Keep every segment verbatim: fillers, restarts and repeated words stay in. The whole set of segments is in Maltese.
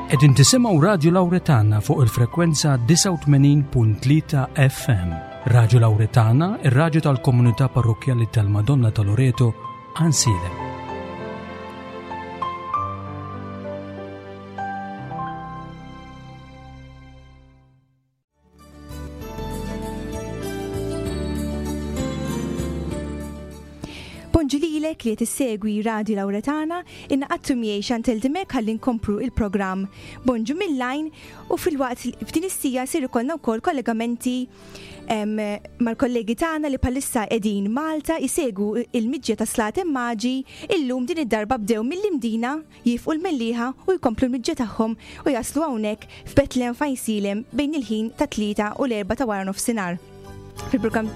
Qegħdin tisimgħu Radju Lawretana fuq il-frekwenza disgħa u tmenin punt tlieta F M. Radju Lawretana, ir-radju tal-Komunità Parrokkjali tal-Madonna ta' Loreto, Għajnsielem. Bonġu lilek li tissegwi Radio Lawretana, ingħaqadtu miegħi Chantel Dimek ħalli nkomplu il-programm Bonġu mill-Għajn u fil-waqt f'din is-siegħa sir ikollna wkoll kollegamenti em, mal-kollegi tagħna li bħalissa qegħdin Malta jsegwu il-miġja ta' Slaten Maġi. Illum din id-darba bdew mill-Imdina, jieqfu l-Mellieħa u jkomplu l-miġja tagħhom u jaslu hawnhekk f'Betlem f'Għajnsielem bejn il-ħin ta' tlieta u l-erba ta' wara nofsinhar. Fil-programm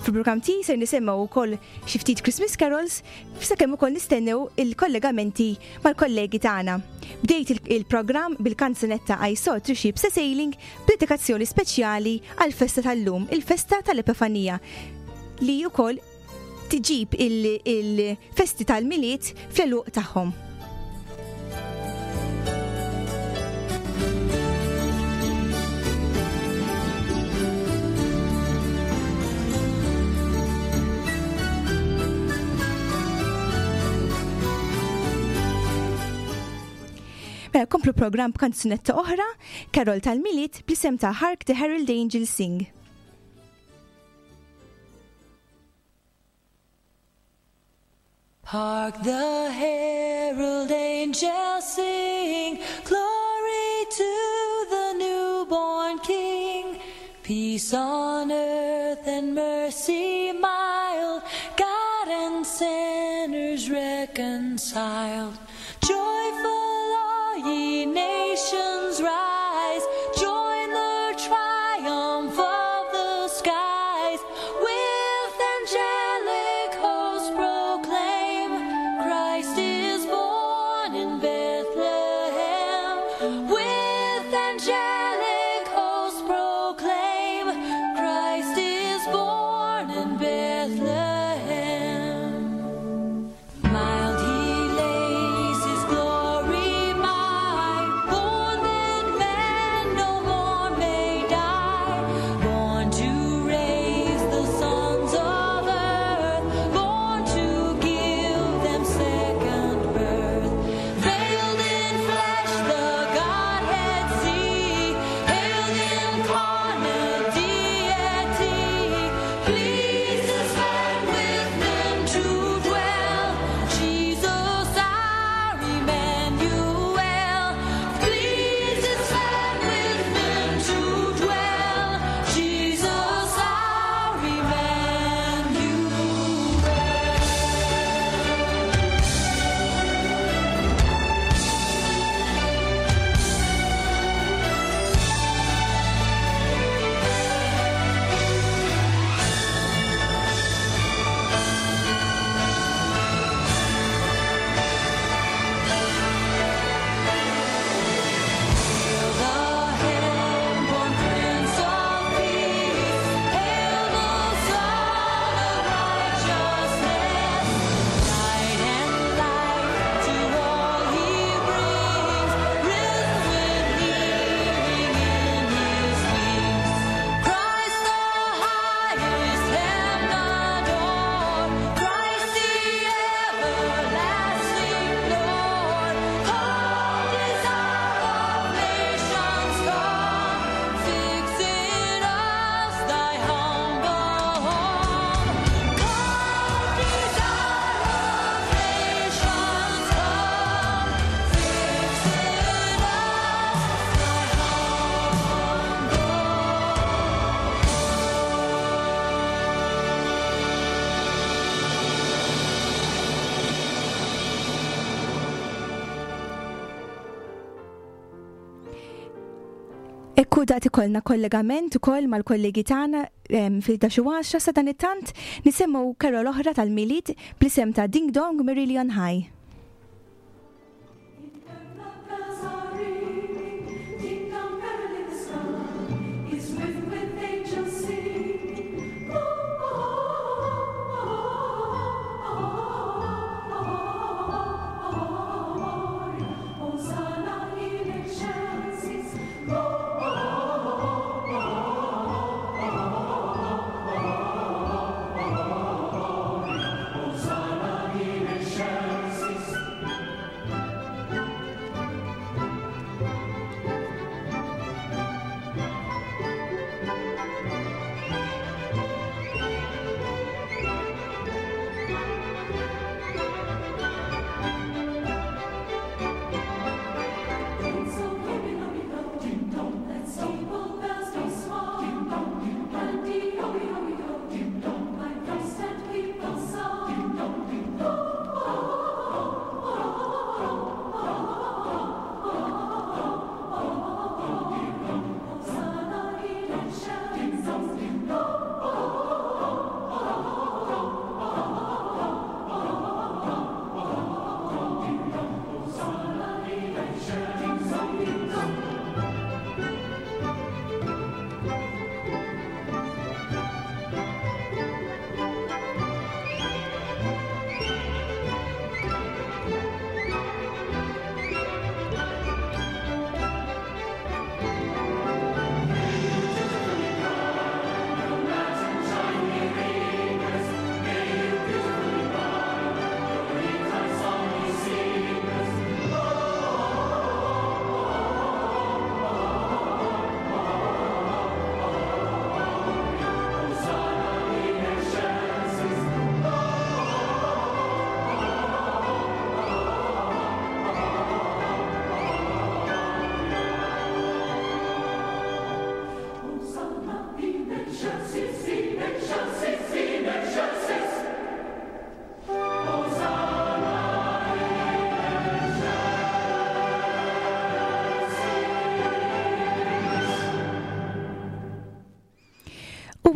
Fil-programm ti ser nisimgħu wkoll xi ftit Christmas carols sakemm ukoll nistennew il-kollegamenti mal-kollegi tagħna. Bdejt il-programm bil-kanzunetta I Saw Three Ships Sailing b'dedikazzjoni speċjali għal-festa tal-lum, il-festa tal-Epifanija, li wkoll tiġib il-festi tal-Milied fl-għeluq tagħhom. Mela komplu programm b'kanzunetta oħra, Carol tal-Milied bl-isem ta' Hark the Herald Angels Sing. Hark the herald angels sing, glory to the newborn King. Peace on earth and mercy mild, God and sinners reconciled. Joyful all ye nations rise, join the triumph of the skies. With angelic hosts proclaim, Christ is born in Bethlehem. With angelic hosts proclaim, Christ is born in Bethlehem. Mild he lays his glory by, born that man no more may die, born to raise the sons of earth, born to give them second birth. Veiled in flesh the Godhead see, hailed incarnate deity, pleased as man with men to dwell, Jesus our Emmanuel. Pleased as man with men to dwell, Jesus our Emmanuel. Hail the heaven-born Prince of Peace, hail the Sun of Righteousness, light and life to all he brings, risen with healing in his wings. Christ the highest heaven adore, Christ the everlasting Lord. Come, desire of nations, come, fix in us thy humble home. Come, desire of nations, come, fix in us thy humble. Ekku dat ikollna kollegament ukoll mal-kollegi tagħna em, fil-ħdax u għaxra. Sadanittant nisimgħu carol oħra tal-Milied bl-isem ta' Ding Dong Merrily on High. Bells are ringing, ding dong merrily the sky is with with angels singing. Oh, oh, oh, oh, oh, oh, Hosanna in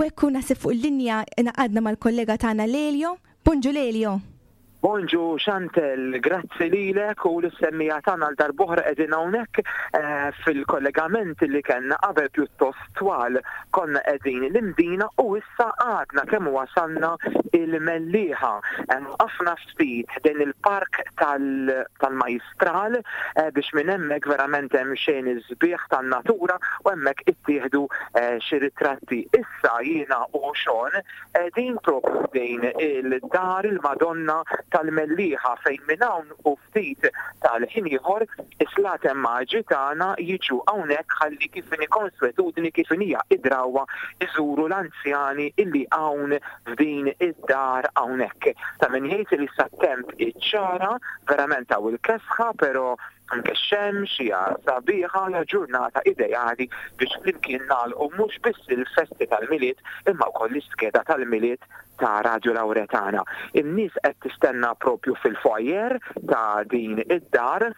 Hekk naħseb fuq il-linja ngħaqadna mal-kollega tagħna Lelio. Bonġu, Lelio. Bonġu, Chantel, grazzi lilek u lis-semmiegħa tagħna. Għal darb'oħra qegħdin hawnhekk eh, fil-kollegament li kellna qabel pjuttost twal. Konna qegħdin l-Imdina u issa għadna kemm wasalna il-Mellieħa. Ħafna ftit din il-park tal-Majstral eh, biex minn hemmhekk verament hemm xejn sbieħ tan-natura u hemmhekk ittieħdu eh, xi ritratti. Issa jiena u Sean din propju din il-dar il-Madonna tal-Mellieħa, fejn minn hawn u ftit tal-ħin ieħor is-Slaten Maġi tagħna jiġu hawnhekk ħalli, kif inhi konswetudni, kif hija id-drawa, iżuru l-anzjani illi hawn f'din id-dar hawnhekk. Ta' min jgħid li sa temp iċ-ċara, verament hawn il-kesħa, però anke x-xemx hija sabiħa, hija ġurnata ideali biex flimkien nagħlqu mhux biss il-festi tal-Milied imma wkoll l-iskeda tal-Milied ta' Radio Lauretana. In-nies qed tistenna propju fil-foyer ta' din id-dar.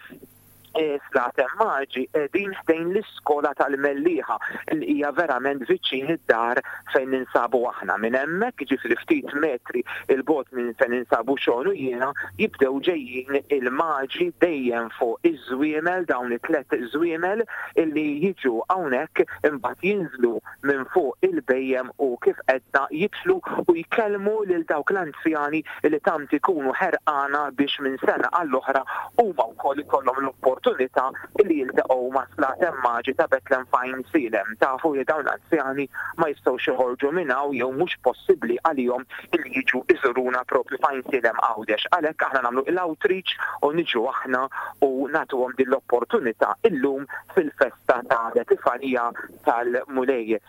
Slaten Maġi din ħdejn l-iskola tal-Mellieħa li hija verament viċin id-dar fejn ninsabu aħna. Minn hemmhekk, ġifieri ftit metri 'il bogħod minn fejn ninsabu Sean u jiena, jibdew ġejjin il-maġi dejjem fuq iż-żwiemel, dawn it-tlet żwiemel illi jiġu hawnhekk, imbagħad jinżlu minn fuq il-bhejjem u, kif għedna, jidħlu u jkellmu lil dawk l-anzjani li tant ikunu ħerqana biex minn sena għall-oħra huma wkoll ikollhom l-opportunità opportunità li jiltaqgħu ma' Slaten Maġi ta' Betlem f'Għajnsielem. Tafu li dawn l-anzjani ma jistgħux joħorġu minn hawn jew mhux possibbli għalihom li jiġu iżuruna propju f'Għajnsielem, Għawdex. Għalhekk aħna nagħmlu l-outreach u niġu aħna u nagħtuhom din l-opportunità illum fil-festa ta' l-Epifanija tal-Mulej.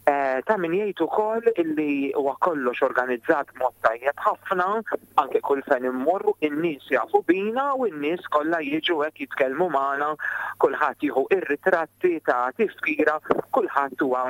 Eh, ta' min jgħid ukoll illi huwa kollox organizzat mod tajjeb ħafna, anke kull fejn immorru in-nies jafu bina u n-nies kollha jiġu hekk jitkellmu magħna, kulħadd jieħu ir-ritratti ta' tifkira, kulħadd huwa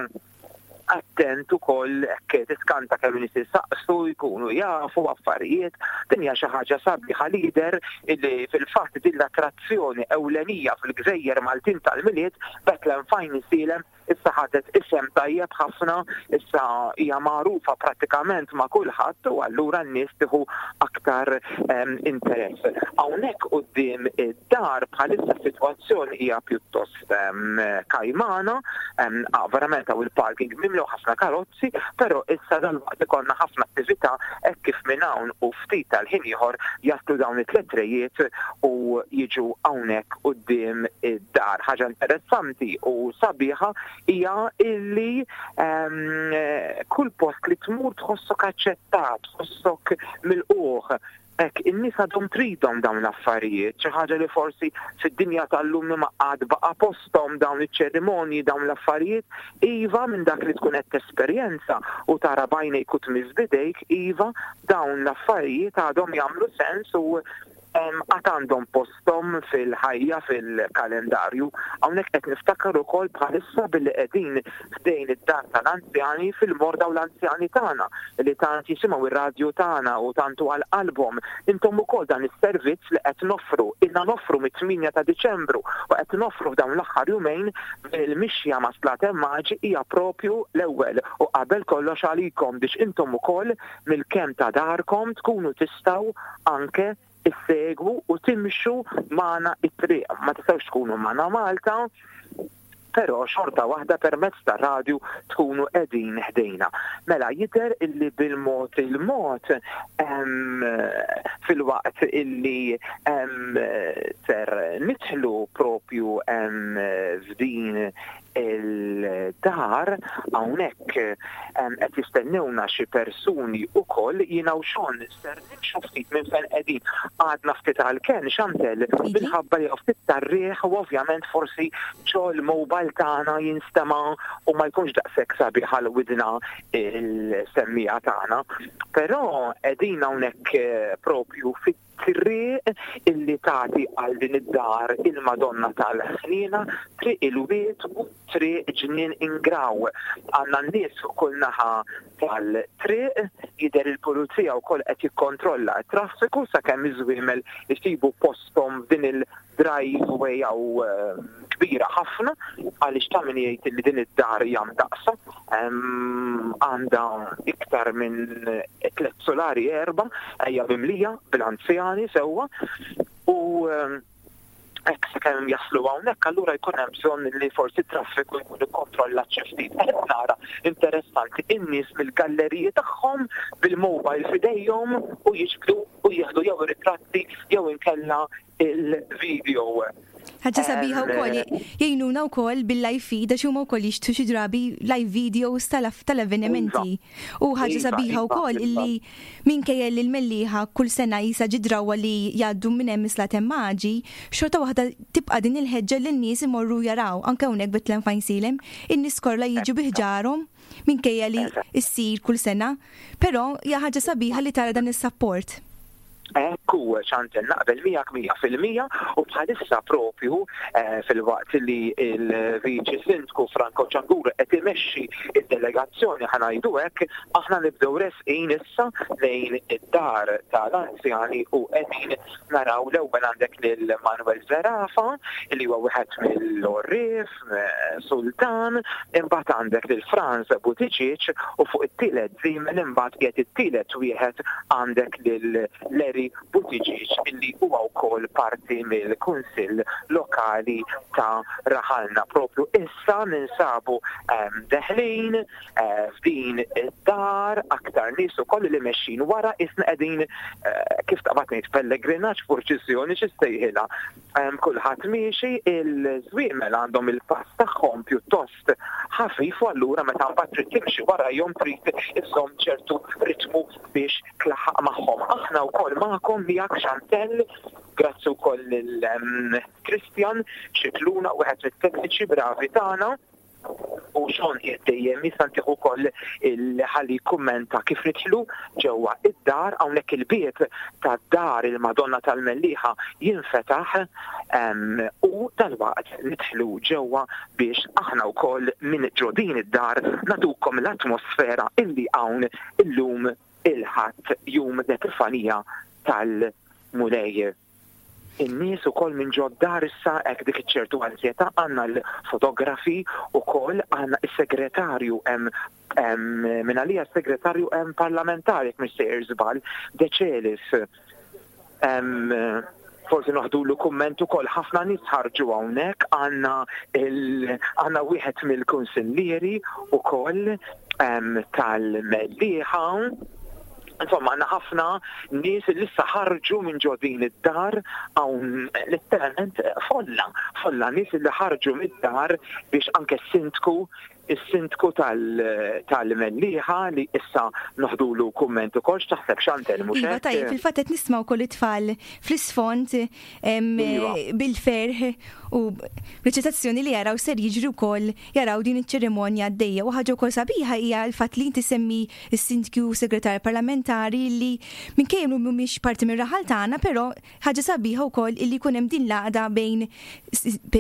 attent ukoll, hekk tiskanta kemm nies jistaqsu, jkunu jafu affarijiet. Din hija xi ħaġa sabiħa lider illi fil-fatt din l-attrazzjoni ewlenija fil-Gżejjer Maltin tal-Milied, Betlem f'Għajnsielem, issa ħadet isem tajjeb ħafna, issa hija magħrufa prattikament ma' kulħadd u allura n-nies tieħu aktar um, interess. Hawnhekk quddiem id-dar bħalissa sitwazzjoni hija pjuttost um, kajmana, um, verament hawn il-parking mimlew ħafna karozzi, però issa dal-waqt ikollna ħafna attività hekk kif minn hawn u ftit tal-ħin ieħor jaslu dawn it-tliet rejiet u jiġu hawnhekk quddiem id-dar. Ħaġa interessanti u sabiħa hija illi um, kull post li tmur tħossok aċċettat, tħossok milqugħ. Hekk, in-nies għadhom tridhom dawn l-affarijiet, xi ħaġa li forsi fid-dinja tal-lum ma għad baqa' posthom dawn iċ-ċerimonji, dawn l-affarijiet, iva, minn dak li tkun qed tesperjenza u tara b'għajnejk u tmiss b'idejk, iva, dawn l-affarijiet għadhom jagħmlu sens u għad għandhom postom fil-ħajja, fil-kalendarju. Hawnhekk qed niftakar ukoll bħalissa billi qegħdin ħdejn id-dar tal-anzjani fil-morda u l-anzjani tagħna li tant jisimgħu ir-radju tagħna u tantu għal qalbhom. Intom ukoll dan is-servizz li qed noffru, ilna noffru mit-tmienja ta' Diċembru u qed noffru f'dawn l-aħħar jumejn il-mixja ma' Slaten Maġi, hija propju l-ewwel u qabel kollox għalikom biex intom ukoll mill-kenn ta' darkom tkunu tistgħu anke issegwu u timxu magħna it-triq. Ma tistgħux tkunu magħna Malta, però xorta waħda permezz ta' radju tkunu qegħdin ħdejna. Mela jidher illi bil-mod il-mod, filwaqt illi ser nidħlu propju f'din il-dar, hawnhekk qed jistennewna xi persuni ukoll. Jiena u Sean ser nimxu ftit minn fejn qegħdin, għadna ftit għal-kenn, Chantel, minħabba li ftit tar-riħ u ovvjament forsi ġol-mobile tagħna jinstema' u ma jkunx daqshekk sabiħ għal widna il-semmiegħa tagħna. Però qegħdin hawnhekk eh, propju fit triq illi tagħti għal din id-dar il-Madonna tal-Ħnina, Triq il-Wied u Triq Ġnien Ingraw. Għandna n-nies fuq kull naħa tal-triq, jidher il-pulizija wkoll qed jikkontrolla t-traffiku sakemm iż-żwiemel isibu posthom f'din il-driveway jew eh, Kbira ħafna, għaliex ta' min jgħid li din id-dar hija mdaqsa, għandha iktar minn tliet solari, erba', hija mimlija bil-anzjani sewwa u hekk sakemm jaslu hawnhekk, allura jkun hemm bżonn li forsi traffiku jkun ikkontrollat xi ftit. Qed nara, interessanti, in-nies mill-galleriji tagħhom bil-mobile f'idejhom u jiġbdu u jieħdu jew ritratti jew inkella il-video. Ħaġa sabiħa wkoll jgħinuna wkoll bil-live feed, għax huma wkoll jixtru xi drabi live videos tal-avvenimenti. U ħaġa iva, sabiħa iva, wkoll iva. illi minkejja li l-Mellieħa kull sena jisa ġidrawa li jgħaddu minn hemm is-Slaten Maġi, xorta waħda tibqa' din il-ħeġġa li n-nies imorru jaraw anke hawnhekk Betlem f'Għajnsielem, in-nies kollha jiġu bi ħġarhom minkejja li issir kull sena, però hija ħaġa sabiħa li tara dan is-support. Ekku, Chantel, naqbel miegħek mija fil-mija u bħalissa propju eh, filwaqt li il-Viċi Sindku Franco Ċangur qed imexxi id-delegazzjoni, ħa ngħidu hekk, aħna nibdew resqin issa lejn id-dar tal-anzjani u qegħdin naraw l-ewwel għandek lil Manuel Zerafa, li huwa wieħed mill-Orrif, eh, Sultan, imbagħad għandek lil Franz Buttigieg u fuq it-tielet żiemel imbagħad qiegħed it-tielet wieħed għandek lil Larry Buttigieg, illi huwa wkoll parti mill-Kunsill Lokali ta' Raħalna. Propju issa ninsabu um, deħlin uh, f'din id-dar, aktar nies ukoll li mexxin wara, isna qegħdin uh, kif taqbad ngħid, pellegrinaġġ, purċissjoni, xi ssejħilha. Um, kulħadd miexi, il-żwiemel għandhom il-pass tagħhom pjuttost ħafif u allura meta mbagħad trid timxi warajhom trid iżżomm ċertu ritmu biex tlaħħaq magħhom. Aħna wkoll magħkom, miegħek Chantel, grazzi wkoll lil Christian Xikluna, wieħed mit-tekniċi bravi tagħna, u xon dejjem jistantiħu ukoll il-ħalli kummenta kif nidħlu ġewwa id-dar. Hawnhekk il-bieb tad-dar il-Madonna tal-Mellieħa jinfetaħ u dalwaqt nidħlu ġewwa biex aħna wkoll minn ġo din id-dar nagħtukom l-atmosfera illi hawn illum il-Ħadd, jum l-Epifanija tal-Mulej. In-nies ukoll minn ġod-dar issa hekk dik iċ-ċertu ansjetà, għandna l-fotografi ukoll, għandna is-segretarju hemm minn għalija segretarju hemm parlamentari, jekk mhux sejjer żball, Decelis. Forsi noħdulu kumment ukoll. Ħafna nies ħarġu hawnhekk, għandna għandna wieħed mill-kunsillieri ukoll tal-Mellieħa. Insomma, għandna ħafna nies li issa ħarġu minn ġo din id-dar, hawn letteralment folla, folla nies li ħarġu mid-dar biex anke s-sindku, is-sindku tal-Mellieħa li issa noħdulu kumment ukoll. X'taħseb, Chantel, mhux Iva, tajjeb, fil-fatt qed nisma' wkoll it-tfal fl-isfond Iva. bil-ferħ u bl-eċitazzjoni li jaraw ser jiġri wkoll, jaraw din iċ-ċerimonja għaddejja. U ħaġa wkoll sabiħa hija l-fatt li inti semmi s-sindku, segretar parlamentari, li minkejja mhumiex parti mir-raħal tagħna, però ħaġa sabiħa wkoll illi jkun hemm din l-għaqda bejn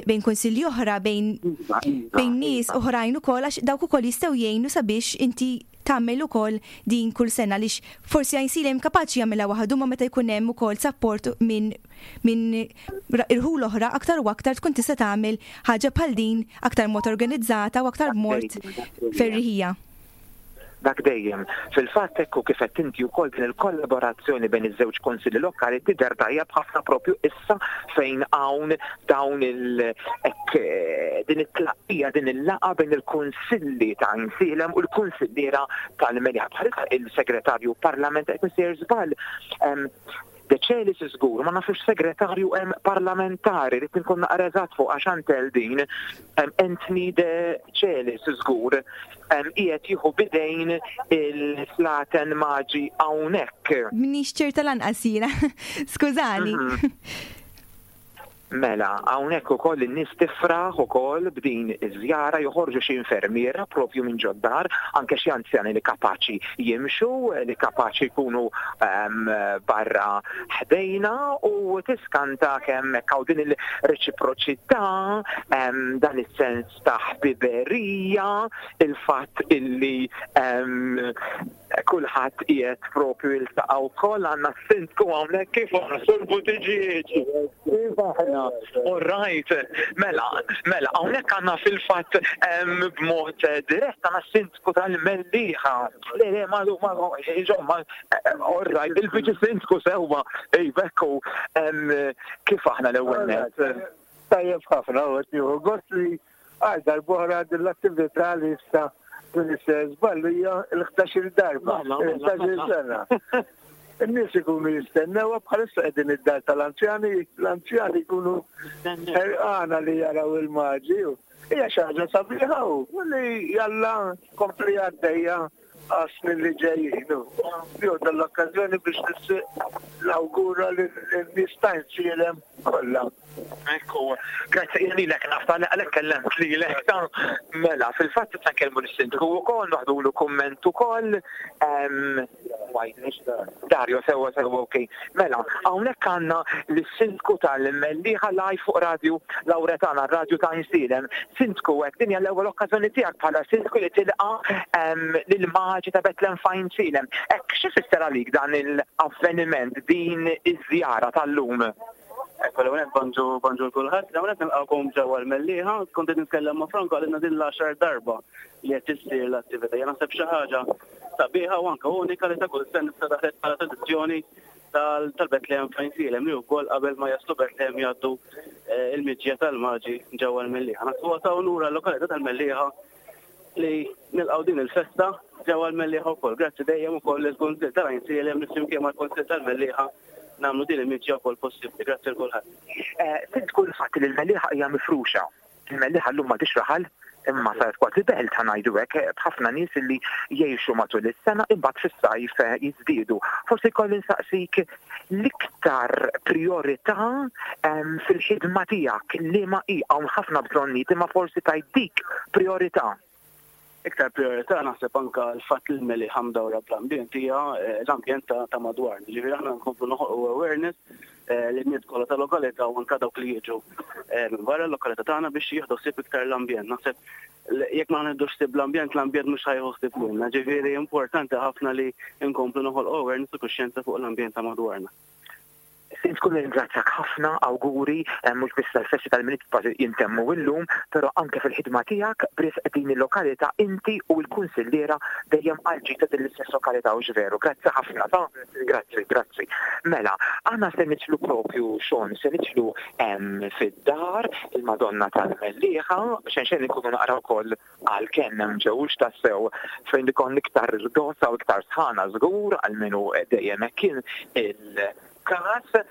bejn kunsilli oħra, bejn Iva, iva, bejn nies iva. oħrajn ukoll, għax dawk ukoll jistgħu jgħinu sabiex inti tagħmel ukoll din kull sena, għaliex forsi Għajnsielem kapaċi jagħmilha waħdu, ma meta jkun hemm ukoll support minn minn irħul oħra, aktar u aktar tkun tista' tagħmel ħaġa bħal din aktar mod organizzata u aktar mod ferriħija. Dak dejjem. Fil-fatt ekku kif qed inti wkoll, din il-kollaborazzjoni bejn iż-żewġ konsilli lokali tidher tajjeb ħafna propju issa fejn hawn dawn il hekk din it-tlaqqija, din il-laqgħa bejn il-kunsilli ta' Għajnsielem u l-kunsilliera tal-Mellieħa. Bħalissa il-segretarju parlament, qed misejjer żball, Decelis żgur, ma nafux segretarju hemm parlamentari, rrid nkun naqra eżatt fuq għax Chantel din, Anthony De Celis żgur qiegħed jieħu bidejn il-Slaten Maġi hawnhekk. Minix ċerta lanqas jiena. Skużani. Mhm. Mela, hawnhekk ukoll in-nies tifraħ ukoll b'din iż-żjara, joħorġu xi infermiera propju minn ġod-dar, anke xi anzjani li kapaċi jimxu, li kapaċi jkunu um, barra ħdejna, u tiskanta kemm hekk hawn din il-reċiproċità, um, dan is-sens ta' ħbiberija, il-fatt illi um, Kulħadd qiegħed propju jiltaqa' wkoll. Għandna s-sindku hawnhekk. Kif aħna, Sur Buttigieg? Kif aħna? All right, mela, mela, hawnhekk għandna fil-fatt b'mod dirett għandna s-sindku tal-Mellieħa. Le, le, ma, ma, insomma, all right, il-viċi sindku sewwa, ej, bekku, kif aħna l-ewwel net? Tajjeb ħafna, u għet gost li għal darb'oħra din l-attività li issa din żballu hija l-ħdax-il darba, l-ħdax-il sena. In-nies ikunu jistennew. Bħalissa qegħdin id-dar tal-anzjani, l-anzjani jkunu ħerqana li jaraw il-maġi. Hija xi ħaġa sabiħa u li jalla kompli għaddejja għas-snin li ġejjin. Jew dal-okkażjoni biex l-awgura li n-nies ta' Għajnsielem kollha. Ekku, grazzi lilek nafta għalek kellemt lilek ta' mela, fil-fatt ta' nkellmu l-sindku ukoll, noħdulu kumment ukoll. Dario, sewa sewa, ok. Mela, hawnhekk għandna l-sindku tal-Mellieħa live fuq Radio Lauretana, radio ta' Għajnsielem. Sindku, hekk din hija l-ewwel okkażjoni tiegħek bħala sindku li tilqa lill-maġi ta' Betlem f'Għajnsielem. Hekk xi fisser għalik dan l-avveniment, din iż-żjara tal-lum? Ekku, l-għonet bonġu, bonġu kulħadd, l-għonet nilqakom ġewwa l-Mellieħa. Kont qed nitkellem ma' Franco, għalina din l-għaxar darba li qed issir l-attività. Jien naħseb xi ħaġa sabiħa u anke unika li ta' kull sena issa daħlet bħala tradizzjoni tal-Bethlehem f'Għajnsielem, li wkoll qabel ma jaslu Bethlehem jgħaddu eh, il-miġja tal-maġi ġewwa l-Mellieħa. Naħseb huwa ta' unura l-lokalità tal-Mellieħa li nilqgħu din il-festa ġewwa l-Mellieħa wkoll. Grazzi dejjem ukoll il-Kunsill tal-Għajnsielem li flimkien mal-Kunsill tal-Mellieħa nagħmlu din il-miġja wkoll possibbli. Grazzi l kulħadd. Sint kull fatt li l-Mellieħa hija mifruxa. Il-Mellieħa llum ma raħal imma saret kważi belt, ħa ngħidu hekk, b'ħafna nies li jgħixu matul is-sena, imbagħad fis-sajf jiżdiedu. Forsi jkolli nsaqsik l-iktar priorità fil-ħidma tiegħek li ma hi. Hawn ħafna bżonnijiet, imma forsi tajt dik priorità. Iktar priorità naħseb anka l-fatt li l-Mellieħa mdawra bl-ambjent hija eh, l-ambjent ta' madwar. Ġifieri aħna nkomplu noħolqu awareness eh, li n-nies kollha ta' lokalità u anka dawk li jiġu eh, minn barra l-lokalità tagħna biex jieħdu ħsieb iktar l-ambjent. Naħseb jekk ma nieħdux ħsieb l-ambjent, l-ambjent mhux ħa jieħu ħsieb lilna. Ġifieri importanti ħafna li nkomplu noħolqu awareness u kuxjenza fuq l-ambjent ta' madwarna. Sint kun ringrazzjak ħafna, awguri, eh, mhux biss tal-festi tal-Milied kważi jintemmu illum, però anke fil-ħidma tiegħek b'risq din il-lokalità, inti u l-kunsilliera dejjem għal ta' din l-istess lokalità, u veru. Grazzi ħafna, ta' grazzi, grazzi. Mela, aħna se nidħlu propju xon, se nidħlu fid-dar il-Madonna tal-Mellieħa, xejn xejn ikunu naqra wkoll għal kemm hemm ġewx tassew fejn ikun iktar irdosa u iktar sħana żgur għal minu dejjem hekk kien il każ.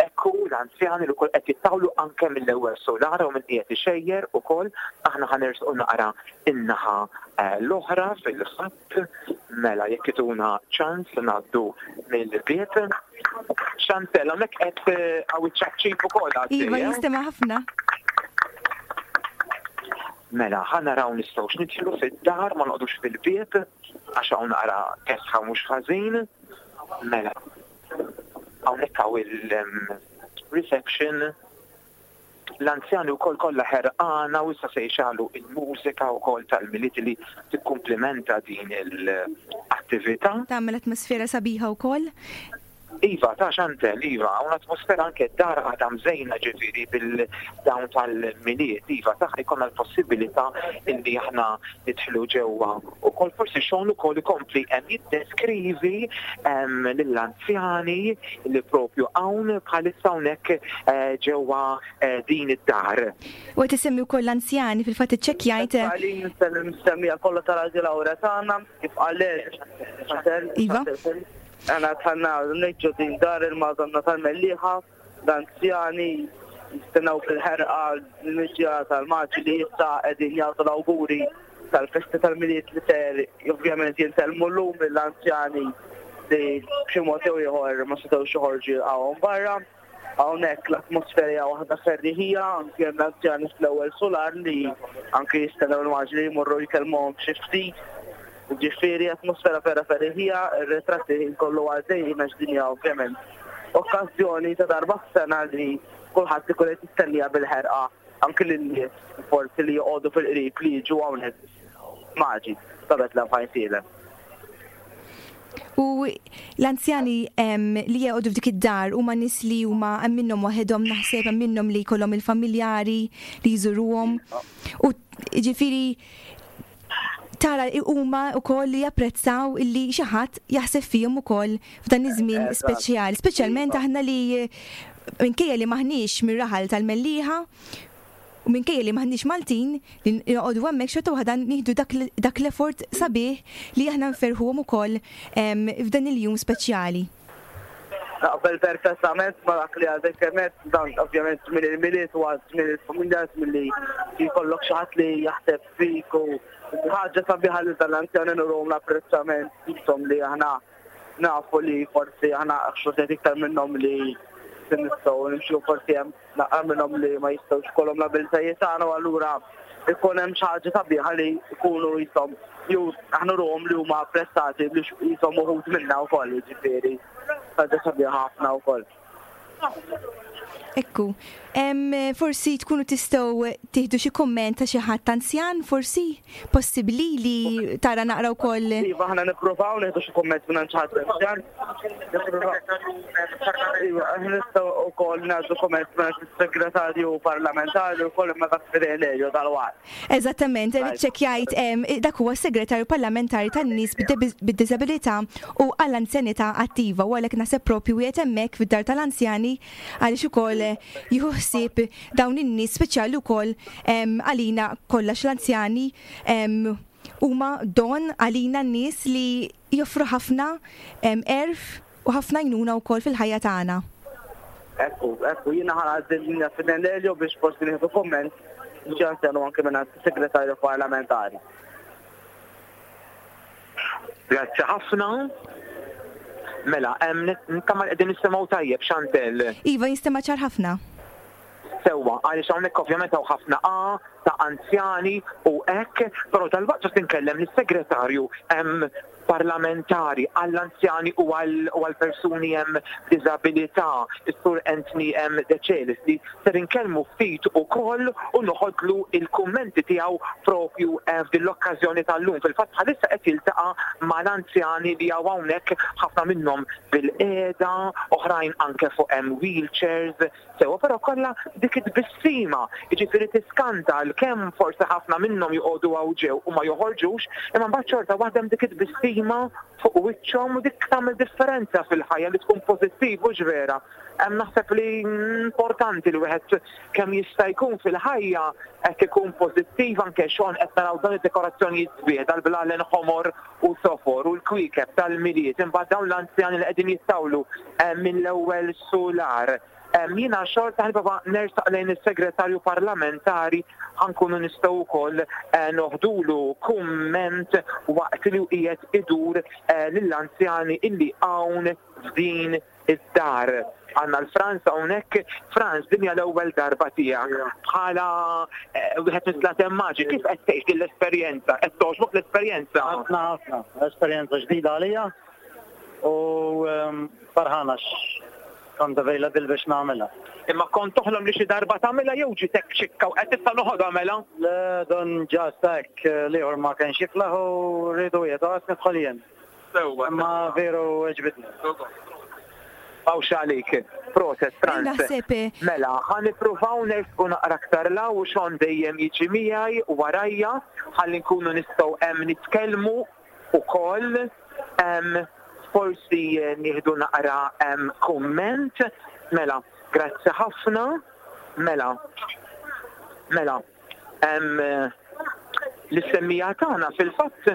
Ekku l-anzjani li wkoll qed jittawlu anke mill-ewwel solara u minn qiegħed ixejjer ukoll. Aħna ħa nersqu naqra in-naħa eh, l-oħra fil-fatt, mela jekk ituna ċans ngħaddu mill-bieb. Chantel, hawnhekk qed eh, hawn iċ-ċapċip ukoll għaddej, Iva, eh? jistema ħafna. Mela, ħa naraw nistgħux nidħlu fid-dar, ma noqgħodux fil-bieb, għax hawn naqra kesħa mhux ħażin. Mela, hawnhekk hawn il-reception, l-anzjani wkoll kollha ħerqana u issa se jxegħlu il-mużika wkoll tal-Milied li tikkumplimenta din l-attività. Tagħmel atmosfera sabiħa wkoll. Iva, ta' Chantel, iva, hawn atmosfera, anke dar għadha mżejna ġifieri bil-dawn tal-Milied, iva, ta' jkollna l-possibilità illi aħna nidħlu ġewwa. Ukoll forsi xogħol ukoll ikompli hemm jiddeskrivi em, lill-anzjani li propju hawn bħalissa hawnhekk eh, ġewwa eh, din id-dar. U qed isemmi wkoll l-anzjani, fil-fatt iċċekkjajt. Għalin nsellem is-semmiegħa kollha ta' Radio Lauretana, kif qalet Chantel. Iva. Għana tħanna neġġu din dar il-Madonna tal-Mellieħa, l-anzjani jistennaw fil-ħerqa l-miġja tal-maġi li issa qegħdin jagħtu l-awguri tal-festi tal-Milied li ser ovvjament jintelmu llum l-anzjani li b'xi mod jew ieħor ma setgħux joħorġu jilqgħuhom barra. Hawnhekk l-atmosfera hija waħda ferriħija, anke hemm l-anzjani fl-ewwel solar li anke jistennew il-maġi li jmorru jkellmuhom xi ftit. Ġifieri atmosfera vera ferriħija, ir-ritratti kollu għaddejjin għax din hija ovvjament okkażjoni ta' darba f'sena li kulħadd ikun qed jistennija bil-ħerqa, anke lin-nies forsi li joqogħdu fil-qrib li jiġu hawnhekk maġi ta' Betlem f'Għajnsielem. U l-anzjani li jgħodu f'dik id-dar huma nies li huma hemm minnhom waħedhom, naħseb hemm minnhom li jkollhom il-familjari li jżuruhom. U ġifieri tara huma wkoll li japprezzaw illi xi ħadd jaħseb fihom ukoll f'dan iż-żmien speċjali, speċjalment aħna li minkejja li maħniex mir-raħal tal-Mellieħa u minkejja li maħniex Maltin li noqogħdu hemmhekk, xorta waħda nieħdu dak l-effort sabiħ li aħna nferħuhom ukoll f'dan il-jum speċjali. Naqbel perfettament ma dak li għadek kemm, dan ovvjament minn il-Milied u minn il-familja, milli jkollok xi ħadd li jaħseb fik, u ħaġa sabiħa li tal-anzjani nurhom l-apprezzament jisom li aħna nafu li forsi aħna xortet iktar minnhom li nistgħu nimxu, forsi hemm naqra minnhom li ma jistgħux kollhom l-abilitajiet tagħna, u allura ikun hemm xi ħaġa sabiħa li jkunu jisom jew aħna nurhom li huma apprezzati biex jisom uħud minna wkoll, jiġifieri ħaġa sabiħa ħafna wkoll. Ekku, forsi tkunu tistgħu tieħdu xi kumment ta' xi ħadd anzjan, forsi possibbli li tara naqra wkoll. Iva, aħna nippruvaw nieħdu xi kumment minn xi ħadd anzjan. Iva, aħna nistgħu wkoll nieħdu kumment minn is-segretarju parlamentari wkoll, imma dak fidejn Lelio dal-waqt. Eżattament, ċekkjajt, dak huwa s-segretarju parlamentari tan-nies bid-diżabilità u għall-anzjanità attiva, u għalhekk naħseb propju wieħed hemmhekk fid-dar tal-anzjani għaliex ukoll jieħu ħsieb dawn in-nies speċjali wkoll għalina kollha, l-anzjani huma don għalina n-nies li joffru ħafna għerf u ħafna għajnuna wkoll fil-ħajja tagħna. Ekku, ekku, jiena ħa ngħaddi f'idejn Lelio biex forsi nieħdu kumment xi anzjan u anke minn segretarju parlamentari. Grazzi ħafna. Mela, nittama qegħdin nisimgħu tajjeb, Chantel. Iva, jinstema' ċar ħafna. Sewwa, għaliex hawnhekk ovvjament hawn ħafna A ta' anzjani u hekk, però dal-waqt ġast inkellem lis-segretarju parlamentari għall-anzjani u għall-persuni hemm b'diżabilità, is-Sur Anthony M. Decelis, li ser inkellmu ftit ukoll u noħodlu il-kummenti tiegħu propju f'din l-okkażjoni tal-lum. Fil-fatt bħalissa qed jiltaqa' mal-anzjani li hawn hawnhekk, ħafna minnhom bil-qiegħda, oħrajn anke fuq hemm wheelchairs, sewwa, però kollha dik it-tbissima, jiġifieri tiskanta kemm forsi ħafna minnhom joqogħdu hawn ġew u ma joħorġux, imma mbagħad xorta waħda hemm dik it-tbissima fuq wiċċhom u dik tagħmel differenza fil-ħajja li tkun pożittiv, u vera. Hemm naħseb li importanti li wieħed kemm jista' jkun fil-ħajja qed ikun pożittiv, anke xogħol qed naraw dan id-dekorazzjonijiet sbieħ dal-blalen ħomor u sofor u l-kwiekeb tal-Milied, imbagħad dawn l-anzjani li qegħdin jittawlu minn l-ewwel solar. Jiena xorta ħalba nersaq lejn is-segretarju parlamentari ħankunu nistgħu wkoll noħdulu kumment waqt li qiegħed idur lill-anzjani illi hawn f'din id-dar. Għandna l-Franz hawnhekk. Franz, din hija l-ewwel darba tiegħek bħala wieħed mis-Slaten Maġi. Kif qed tgħix din l-esperjenza? Qed togħġbok l-esperjenza? Ħafna ħafna, esperjenza ġdida għalija u farħana kont available biex nagħmilha. Imma kont toħlom li xi darba tagħmilha jew ġitek xikka u qed issa noħodha mela? Le, don ġast hekk l-ieħor ma kienx jiflaħ u rridu jieħdu għas nidħol jien. Sewwa. Imma veru għeġbitni. Għawx għalik, proset Franz. Naħseb. Mela, ħa nippruvaw nersqu naqra aktar law u xon dejjem jiġi miegħi u warajja ħalli nkunu nistgħu hemm nitkellmu ukoll. Forsi nieħdu naqra kumment. Mela, grazzi ħafna. Mela, mela, l-istemmija tagħna fil-fatt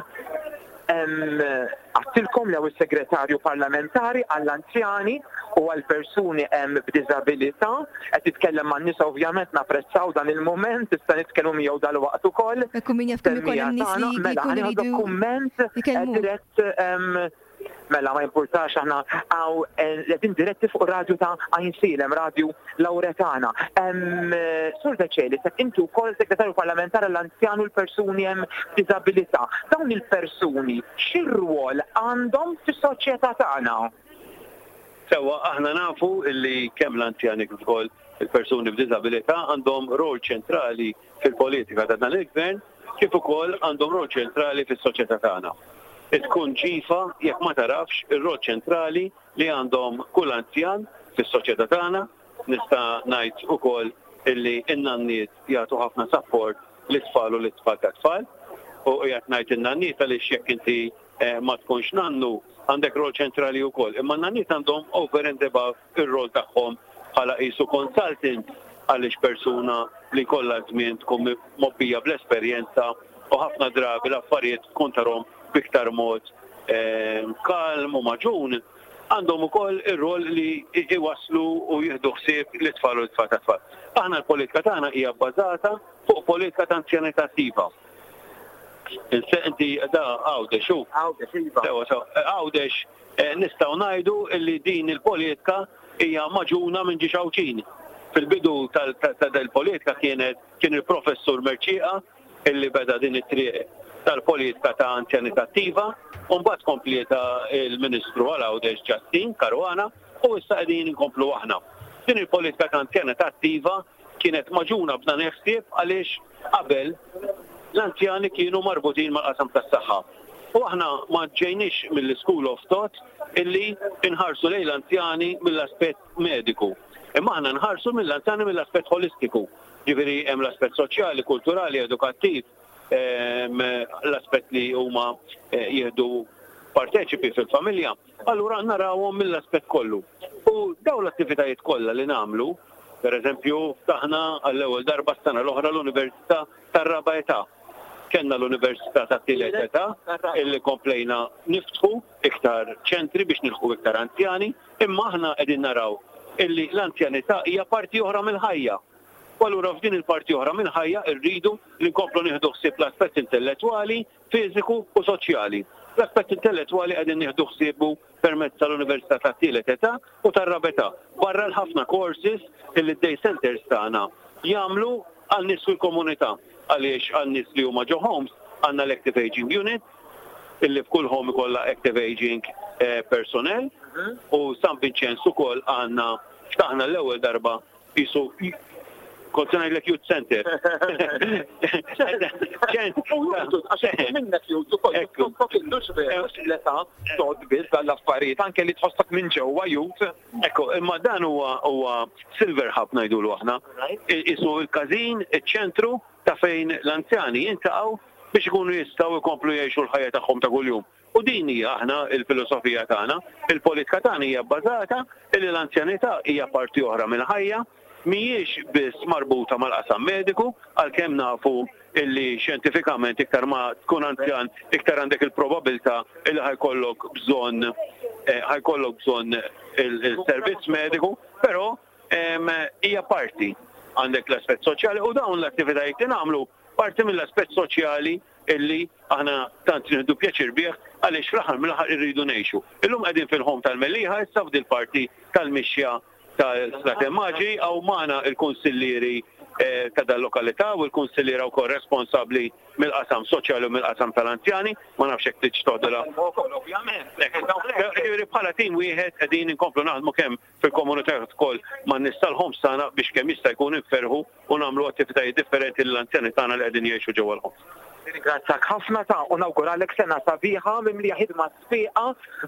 għattilkom li hawn is-segretarju parlamentari għall-anzjani u għall-persuni hemm b'diżabilità, qed titkellem man-nies, ovvjament napprezzaw dan il-mument, tista' nitkellmu miegħu dal-waqt ukoll. Ekku min jaf kemm ikollhom nies li Mela, jkunu ħa nieħdu jridu kumment jkellmu. dirett. Mela, ma jimpurtax, aħna għaw qegħdin diretti fuq radju ta' Għajnsielem, Radju Lauretana. Sur Decelis, inti wkoll segretarju parlamentari għall-anzjani u l-persuni hemm b'diżabilità. Dawn il-persuni x'irwol għandhom fis-soċjetà tagħna? Sewwa, aħna nafu li kemm l-anzjani kif ukoll il-persuni b'diżabilità għandhom rol ċentrali fil-politika ta' dan il-gvern, kif ukoll għandhom rol ċentrali fis-soċjetà tagħna. Tkun ġifa jekk ma tarafx ir-rol ċentrali li għandhom kull anzjan fis-soċjetà tagħna. Nista' ngħid ukoll illi n-nanniet jagħtu ħafna support lit-tfal u lit-tfal tat-tfal. U qiegħed ngħid in-nanniet għaliex jekk inti eh, ma tkunx nannu għandek rol ċentrali wkoll. Imma n-nanniet għandhom over and above ir-rol tagħhom bħala qisu consultant, għaliex persuna li kollha żmien tkun mgħobbija bl-esperjenza u ħafna drabi l-affarijiet tkun tarahom b'iktar mod eh, kalm u maġun, għandhom ukoll ir-rol li iwaslu u jieħdu ħsieb l-tfal u l-tfal tat-tfal. Aħna l-politika tagħna hija bbażata fuq politika ta' anzjanità attiva. Inti da Għawdex u. Għawdex, iva. Sewa, sewa. Għawdex eh, nistgħu ngħidu li din il-politika hija magħġuna minn ġiex Għawdxin. Fil-bidu tal-politika kienet kien il-professur Mercieca illi beda din it-triq tal-politika ta' anzjanità attiva, u mbagħad komplietha il-Ministru għal Għawdex Justyne Caruana u issa qegħdin inkomplu aħna. Din il-politika ta' anzjanità attiva kienet magħġuna b'dan il-ħsieb għaliex qabel l-anzjani kienu marbutin mal-qasam tas-saħħa. U aħna ma ġejniex mill-School of Thought illi nħarsu lejn l-anzjani mill-aspett mediku. Imma aħna nħarsu mill-anzjani mill-aspett holistiku. Ġifieri hemm l-aspett soċjali, kulturali, edukattiv, l-aspett li huma eh, jieħdu parteċipi fil-familja. Allura narawhom mill-aspett kollu. U dawn l-attivitajiet kollha li nagħmlu, per eżempju, ftaħna għall-ewwel darba s-sena l-oħra l-Università tar-Raba' Età. Kellna l-Università tat-Tielet Età illi komplejna niftħu iktar ċentri biex nilħqu iktar anzjani, imma aħna qegħdin naraw illi l-anzjanità hija parti oħra mill-ħajja. U allura f'din il-parti oħra mill-ħajja rridu li nkomplu nieħdu ħsieb l-aspett intellettwali, fiżiku u soċjali. L-aspett intellettwali qegħdin nieħdu ħsiebu permezz tal-Università tat-Tielet Età u tar-Raba' Età. Barra l-ħafna courses illi d-day centers tagħna jagħmlu għal nies fil-komunità. Għaliex għal nies li huma ġo homes għandna l-Active Aging Unit illi f'kull home ikollha Active Aging eh, personnel u San Vincenz ukoll għandna ftaħna l-ewwel darba qisu kont se ngħidlek youth center. Minnek youth ukoll, l-età tgħodd biss għall-affarijiet, anke li tħossok minn ġewwa youth. Ekku, imma dan huwa huwa Silver Hub ngħidulu aħna. Isu il-każin, iċ-ċentru ta' fejn l-anzjani jiltaqgħu biex ikunu jistgħu jkomplu jgħixu l-ħajja tagħhom ta' kuljum. U din hija aħna il-filosofija tagħna, il-politika tagħna hija bbażata illi l-anzjanità hija parti oħra mill-ħajja, mhijiex biss marbuta mal-qasam mediku, għalkemm nafu illi xjentifikament iktar ma tkun anzjan, iktar għandek il-probabilità illi ħa jkollok bżonn eh, ħa jkollok bżonn il-servizz mediku, però hija parti, għandek l-aspett soċjali u dawn l-attivitajiet li nagħmlu parti mill-aspett soċjali illi aħna tant nieħdu pjaċir bih għaliex fl-aħħar mill-aħħar irridu ngħixu. Illum qegħdin fil-home tal-Mellieħa issa f'dil parti tal-mixja tal-Slaten Maġi, hawn magħna il-kunsillieri eh, ta' dal-lokalità u l-kunsilliera wkoll responsabbli mill-qasam soċjali u mill-qasam tal-anzjani, ma nafx hekk tridx toħdilha. Ovvjament. Ġifieri bħala tim wieħed qegħdin inkomplu naħdmu kemm fil-komunità ukoll man-nies tal-homes tagħna biex kemm jista' jkun inferħu u nagħmlu attivitajiet differenti lill-anzjani tagħna li qegħdin jgħixu ġewwa l-homes. Ringrazzjak ħafna ta' u nawguralek sena sabiħa mimlija ħidma sfiqa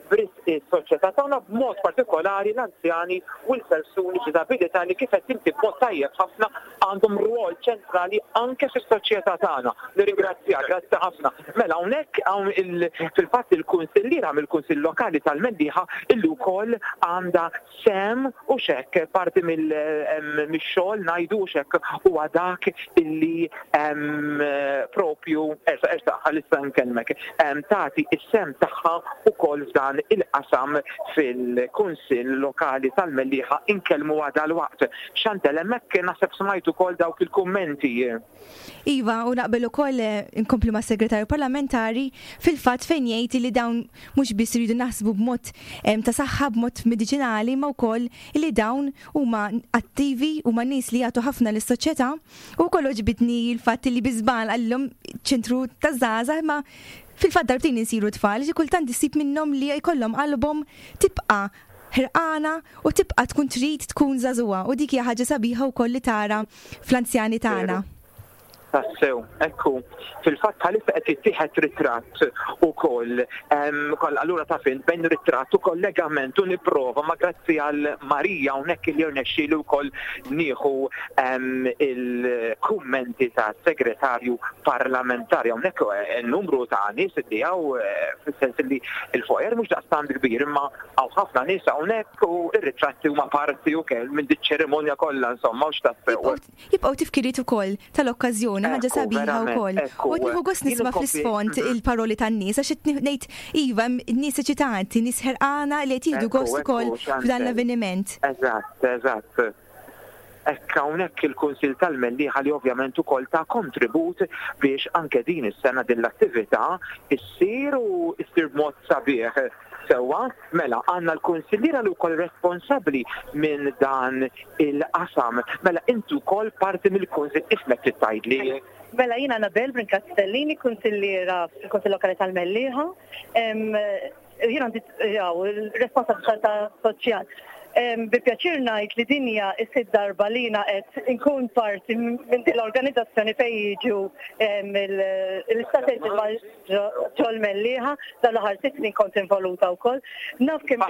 b'risq is-soċjetà tagħna, b'mod partikolari l-anzjani u l-persuni b'diżabilità li, kif qed inti b'mod tajjeb ħafna, għandhom rwol ċentrali anke fis-soċjetà tagħna. Nirringrazzjak, grazzi ħafna. Mela hawnhekk hawn fil-fatt il-kunsilliera mill-Kunsill Lokali tal-Mellieħa illi wkoll għandha sem u xek parti mill-xogħol ngħidu xek huwa dak illi propju ersa ersa ħalissa nkellmek tagħti is-sehem tagħha ukoll f'dan il-qasam fil-Kunsill Lokali tal-Mellieħa, inkellmu għada l-waqt. Chantel, hemmhekk naħseb smajt ukoll dawk il-kummenti. Iva, u naqbel ukoll eh, inkomplu ma' segretarju parlamentari fil-fatt fejn jgħid li dawn mhux biss iridu naħsbu b'mod ta' saħħa, b'mod mediċinali, ma wkoll li dawn huma attivi, huma nies li jagħtu ħafna lis-soċjetà, u wkoll ġbidni l-fatt li bi żball qalilhom ċentru ta' żgħażagħ, ma fil-fatt darbtejn insiru tfal, xi kultant issib minnhom li jkollhom qalbhom tibqa' ħerqana u tibqa' tkun trid tkun żagħżugħa, u dik hija ħaġa sabiħa wkoll li tara fl-anzjani tagħna. Tassew, ekku, fil-fatt bħalissa qed jittieħed ritratt ukoll, koll allura taf int bejn ritratt u kollegament u nipprova ma grazzi għal Marija hawnhekk li rnexxieli wkoll nieħu il-kummenti ta' segretarju parlamentari hawnhekk eh, numru ta' nies li hawn eh, fis-sens li il-foyer mhux daqstant kbir imma hawn ħafna nies hawnhekk u ir-ritratti huma parti ukoll minn dik ċerimonja kollha insomma u x'tassew. Jibqgħu tifkiriet ukoll tal-okkażjoni ħaġa sabiħa wkoll. U qed nieħu gost nisma' fl-isfond il-paroli tan-nies għax qed ngħid iva nies eċitanti, nies ħerqana li qed jieħdu gost ukoll f'dan l-avveniment. Eżatt, eżatt. Hekk hawnhekk il-Kunsill tal-Mellieħa li ovvjament ukoll ta' kontribut biex anke din is-sena din l-attività issir u issir b'mod sabiħ. Sewwa, mela għandna l-kunsilliera li wkoll responsabbli minn dan il-qasam. Mela inti wkoll parti mill-kunsill ismek trid tgħidli. Mela jiena Anabel Brincat Stellini, kunsilliera fil-Kunsill Lokali tal-Mellieħa. Jiena għandi il-responsabilità soċjal. Bi pjaċir ngħid li din hija s-sitt darba li jiena qed inkun parti minn din l-organizzazzjoni fejn jiġu l-istrateġi ġol-Mellieħa, dan l-aħħar sitt snin kont involuta wkoll. Naf kemm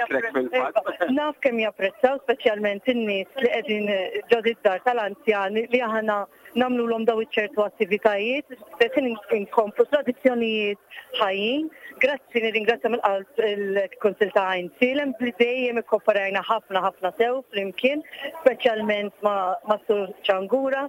naf kemm japprezzaw speċjalment in-nies li qegħdin ġo id-dar tal-anzjani li aħna nagħmluhom daw iċ-ċertu attivitajiet, qed inkomplu tradizzjonijiet ħajjin. Grazzi, nirringrazzja mill-qalb il-Kunsill ta' Għajnsielem li dejjem ikkoperajna ħafna ħafna sew flimkien, speċjalment ma' Sur Ċangura.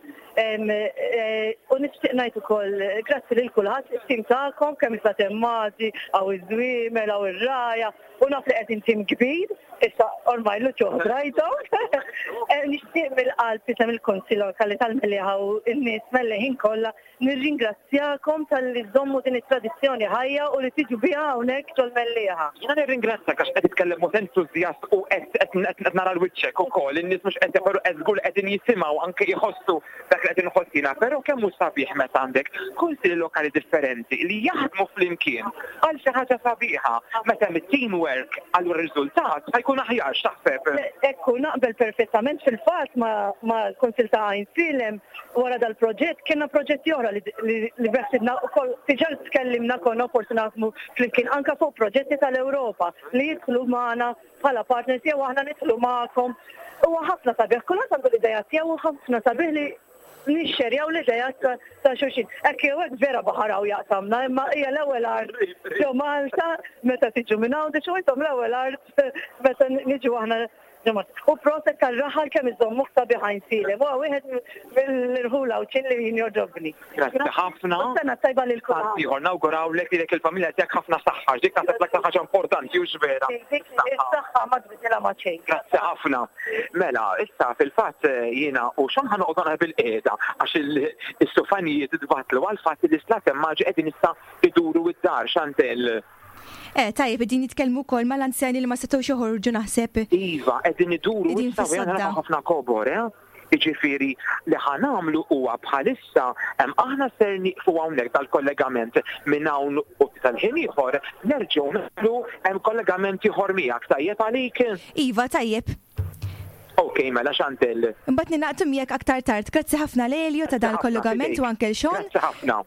U nixtieq ngħid ukoll grazzi lil kulħadd, it-tim tagħkom kemm issa temmati, hawn iż-żwiemel, hawn ir-raja, u naf li qegħdin tim kbir, issa ormai l-uċuħ rajthom. Nixtieq mill-qalb isem il-Kunsill Lokali tal-Mellieħa u n-nies Melleħin kollha nirringrazzjakom talli żommu din it-tradizzjoni ħajja u li tiġu biha hawnhekk ġol-Mellieħa. Jiena nirringrazzjak għax qed titkellem mod entużjast u qed nara l-wiċċek ukoll, in-nies mhux qed però qed żgur qegħdin jisimgħu anke jħossu dak li qed inħoss jiena, però kemm hu sabiħ meta għandek kunsilli lokali differenti li jaħdmu flimkien għal xi ħaġa sabiħa, meta hemm it-teamwork allura r-riżultat ħajkun aħjar, x'taħseb? Ekku, naqbel perfettament. Fil-fatt mal-Kunsill ta' Għajnsielem wara dal-proġett kienna proġetti oħra li beħsibna wkoll diġà tkellimna konna forsi naħdmu flimkien anke fuq proġetti tal-Ewropa li jidħlu magħna bħala partners jew aħna nidħlu magħkom. Huwa ħafna sabiħ, kulħadd għandu l-idea tiegħu u ħafna sabiħ li nixxerjaw l-idea ta' xulxin. Hekk jew hekk vera baħar hawn jaqsamna, imma hija l-ewwel art ġo Malta meta tiġu minn Għawdex u intom l-ewwel art meta niġu aħna. U proset tal-raħal kemm iżommuh sabiħ Għajnsielem. Huwa wieħed mill-irħula Għawdxin li jien jogħġobni. Grazzi ħafna. U sena tajba lil kulħadd. Ieħor nawgurawlek lilek il-familja tiegħek ħafna saħħa, dik naħseb l-aktar ħaġa importanti u vera. Dik is-saħħa ma tbiddilha ma' xejn. Grazzi ħafna. Mela, issa fil-fatt jiena u x'aħna ħanoqgħod naqra bil-qiegħda għax is-sufanijiet tbatlu għall-fatt li l-islatem maġi qegħdin issa iduru id-dar, Chantel. Eh, tajjeb, qegħdin jitkellmu wkoll mal-anzjani li ma setgħux joħorġu naħseb. Iva, qegħdin iduru issa u naraw ħafna kobor, eh? Jiġifieri li ħa nagħmlu huwa bħalissa aħna ser nieqfu hawnhekk dal-kollegament minn hawn u tal-ħin ieħor nerġgħu nagħmlu hemm kollegament ieħor miegħek, tajjeb għalik? Iva, tajjeb. Ok, mela Chantel. Imbagħad ninaqtu miegħek aktar tard. Grazzi ħafna Lelio ta' dal-kollegament u anke l-Sean. Grazzi ħafna.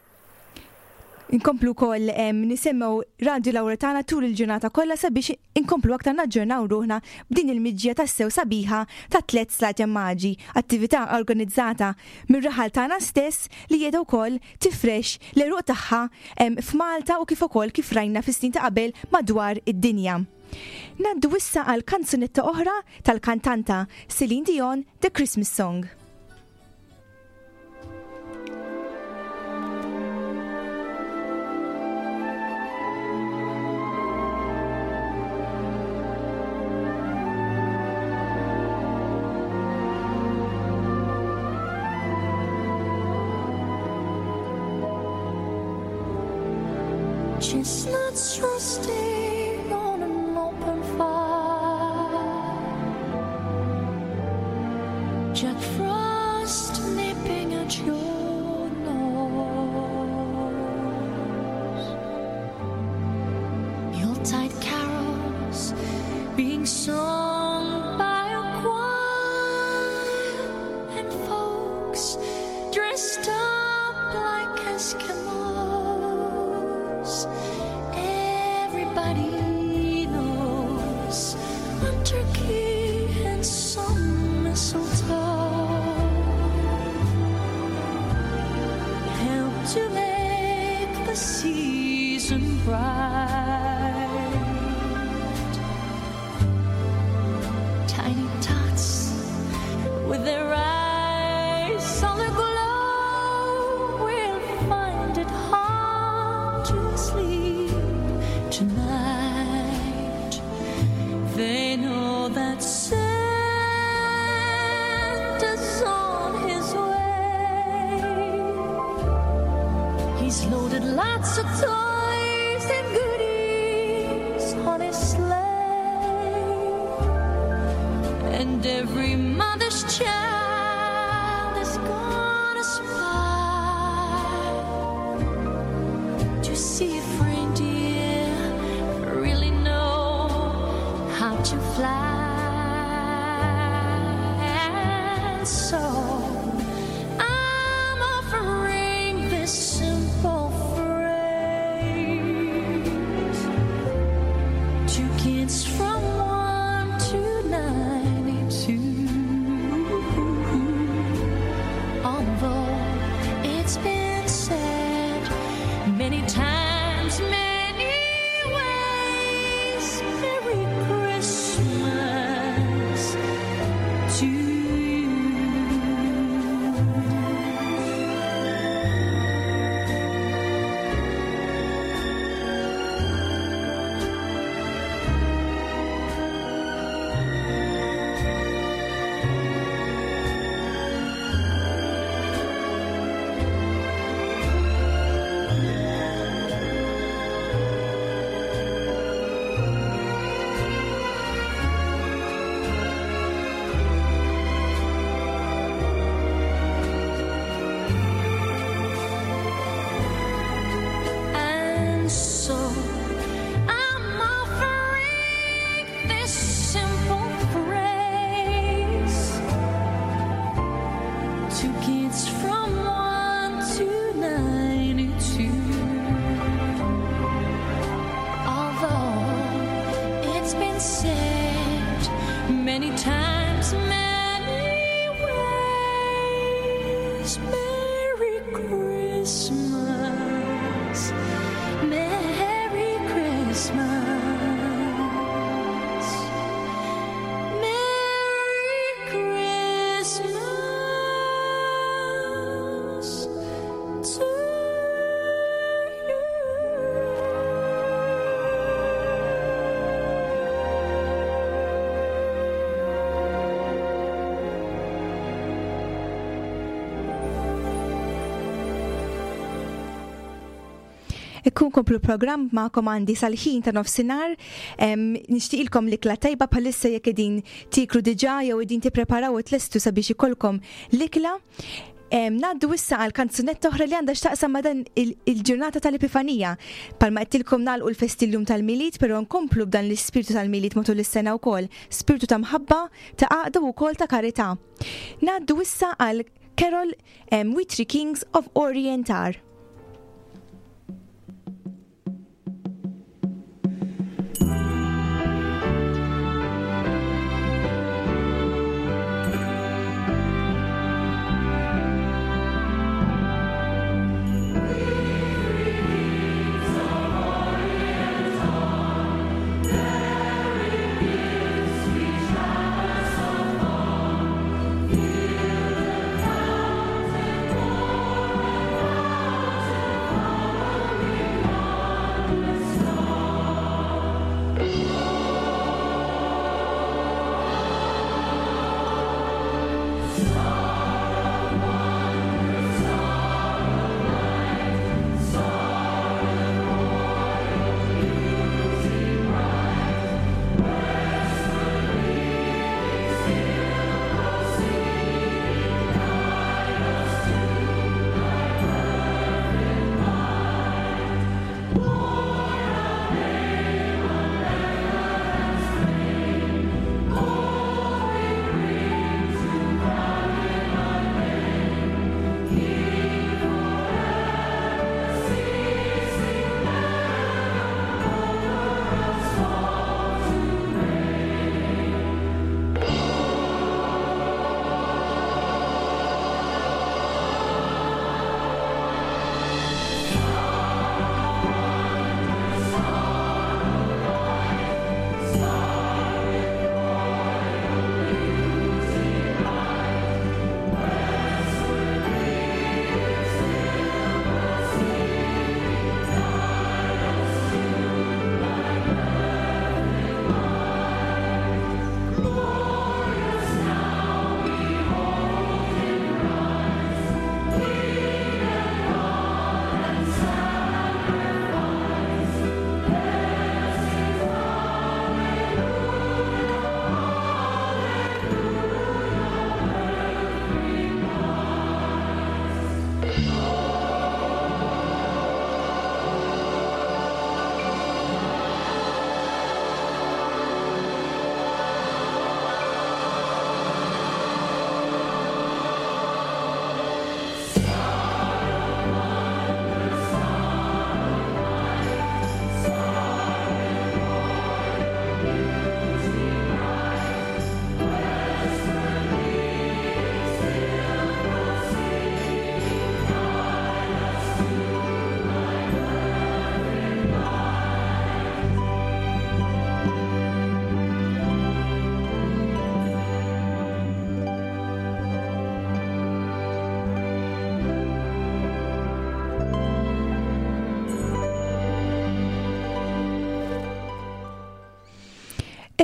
Inkomplu wkoll nisimgħu Radio Lauretana tul il-ġurnata kollha sabiex inkomplu aktar naġġornaw ruħna b'din il-miġja tassew sabiħa ta' tliet Slaten Maġi, attività organizzata mir-raħal tagħna stess li qiegħda wkoll tifrex l-għeruq tagħha f'Malta u kif ukoll kif rajna fis-snin ta' qabel madwar id-dinja. Ngħaddu issa għal kanzunetta oħra tal-kantanta Celine Dion, The Christmas Song. Chestnuts roasting on an open fire, Jack Frost nipping at your nose, Yuletide carols being sung by a choir, and folks dressed up the season bright. Tiny tots with their eyes all aglow will find it hard to sleep tonight. They know that Santa's on his way. He's loaded lots of toys and goodies on his sleigh. And every mother's child is gonna spy to see if reindeer really know how to fly. And so I'm offering this simple phrase to kids from one to ninety-two. Although it's been said many times, many ways, Merry Christmas to you. And so I'm offering this simple phrase to kids from one to ninety-two. Although it's been said many times, many ways, Merry Christmas, Merry Christmas, Merry Christmas to Ikkun komplu program ma'kom għandi sal-ħin ta' nofsinhar. Em, Nixtieqilkom l-ikla tajba bħalissa jekk qegħdin tiklu diġà jew qegħdin tippreparaw u tlestu sabiex ikollkom l-ikla. Em, Naddu issa għal kanzunetta oħra li għandha x'taqsam ma' dan il- il-ġurnata tal-Epifanija. Palma qedtilkom nagħlqu l-festi llum tal-Milied, però nkomplu b'dan l-ispirtu tal-Milied matul is-sena wkoll, spiritu ta' mħabba, ta' għaqda u wkoll ta' karità. Naddu issa għal Carol em, We Three Kings of Orient Are. Far.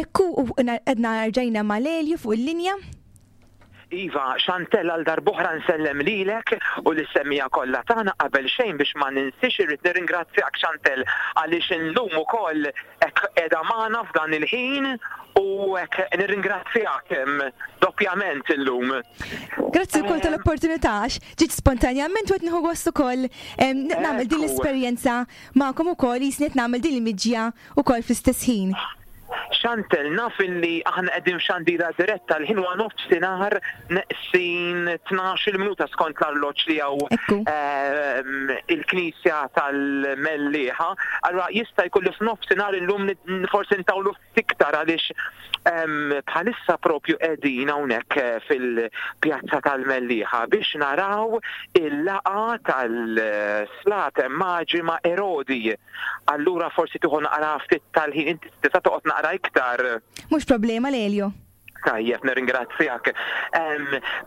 Ekku u għedna rġajna mal-Elju fuq il-linja. Iva, Chantel, għal darb'oħra nsellem lilek u lis-semmiegħa kollha tagħna. Qabel xejn, biex ma ninsix, irrid nirringrazzjak, Chantel, għaliex illum ukoll hekk qiegħda magħna f'dan il-ħin u hekk nirringrazzjak doppjament illum. Grazzi wkoll tal-opportunità, għax ġiet spontanjament u qed nieħu gost ukoll nagħmel din l-esperjenza magħkom ukoll, jisni qed nagħmel din il-miġja ukoll fl-istess ħin. Chantel, naf illi aħna qegħdin f'xandira diretta, l-ħin huwa nofsinhar neqsin tnax-il minuta skont l-arloġġ li hawn ehm, il-Knisja tal-Mellieħa. Allura jista' jkun li f'nofsinhar illum forsi ntawlu iktar għaliex ehm, bħalissa propju qegħdin hawnhekk eh, fil-pjazza tal-Mellieħa biex naraw il-laqgħa tal-Slaten Maġi ma' Erodi. Allura forsi tieħu naqra ftit tal-ħin, inti tista' toqgħod naqra iktar. Mhux problema, Lelio. Tajjeb, nirringrazzjak.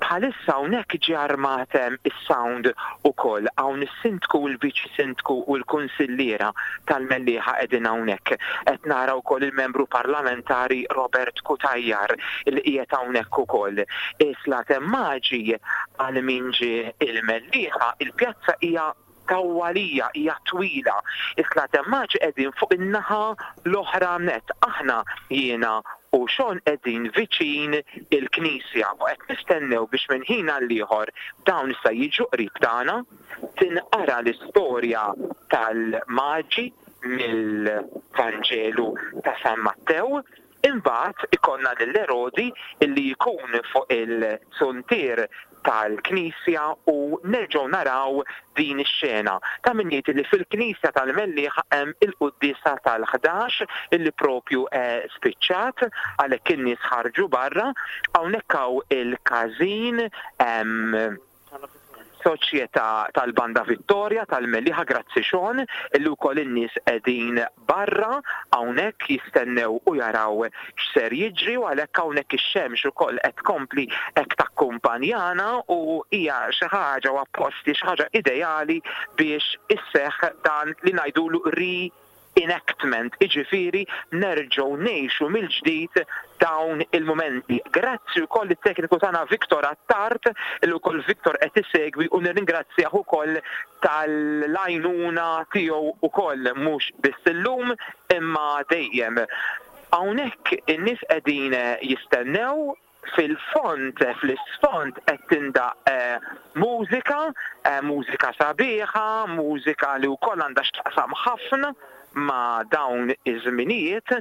Bħalissa hawnhekk ġie armat is-sound ukoll, hawn is-sindku u l-viċi sindku u l-kunsilliera tal-Mellieħa qegħdin hawnhekk. Qed nara wkoll il-membru parlamentari Robert Cutajar li qiegħed hawnhekk ukoll. Is-Slaten Maġi, għal min ġie il-Mellieħa, il-pjazza hija tawwalija, hija twila. Is-Slaten Maġi qegħdin fuq in-naħa l-oħra net. Aħna, jiena u Sean, qegħdin viċin il-Knisja u qed nistennew biex minn ħin għal ieħor dawn issa jiġu qrib tagħna, tinqara l-istorja tal-Maġi mill-Vanġelu ta' San Mattew. Imbagħad ikollna lil Erodi illi jkun fuq il-zuntier tal-Knisja u nerġgħu naraw din ix-xena. Ta' min jgħid li fil-Knisja tal-Mellieħa hemm il-quddiesa tal-ħdax illi propju eh, spiċċat, għalhekk in-nies ħarġu barra. Hawnhekk hawn il-każin soċjetà tal-Banda Vittoria tal-Mellieħa, grazzi Sean, illi wkoll in-nies qegħdin barra hawnhekk jistennew u jaraw x'ser jiġri, u għalhekk hawnhekk ix-xemx ukoll qed tkompli hekk takkumpanjana u hija xi ħaġa u apposti xi ħaġa ideali biex isseħħ dan li ngħidulu re-enactment, iġifieri nerġgħu ngħixu mill-ġdid dawn il-momenti. Grazzi wkoll it-tekniku tagħna Victor Attard, illi wkoll Victor qed isegwi u nirringrazzjah ukoll tal-għajnuna tiegħu ukoll, mhux biss illum imma dejjem. Hawnhekk in-nies qegħdin jistennew. Fil-fond, fl-isfond qed tindaq eh, mużika, eh, mużika sabiħa, mużika li wkoll għandha x'taqsam ħafna ma' dawn iż-żminijiet.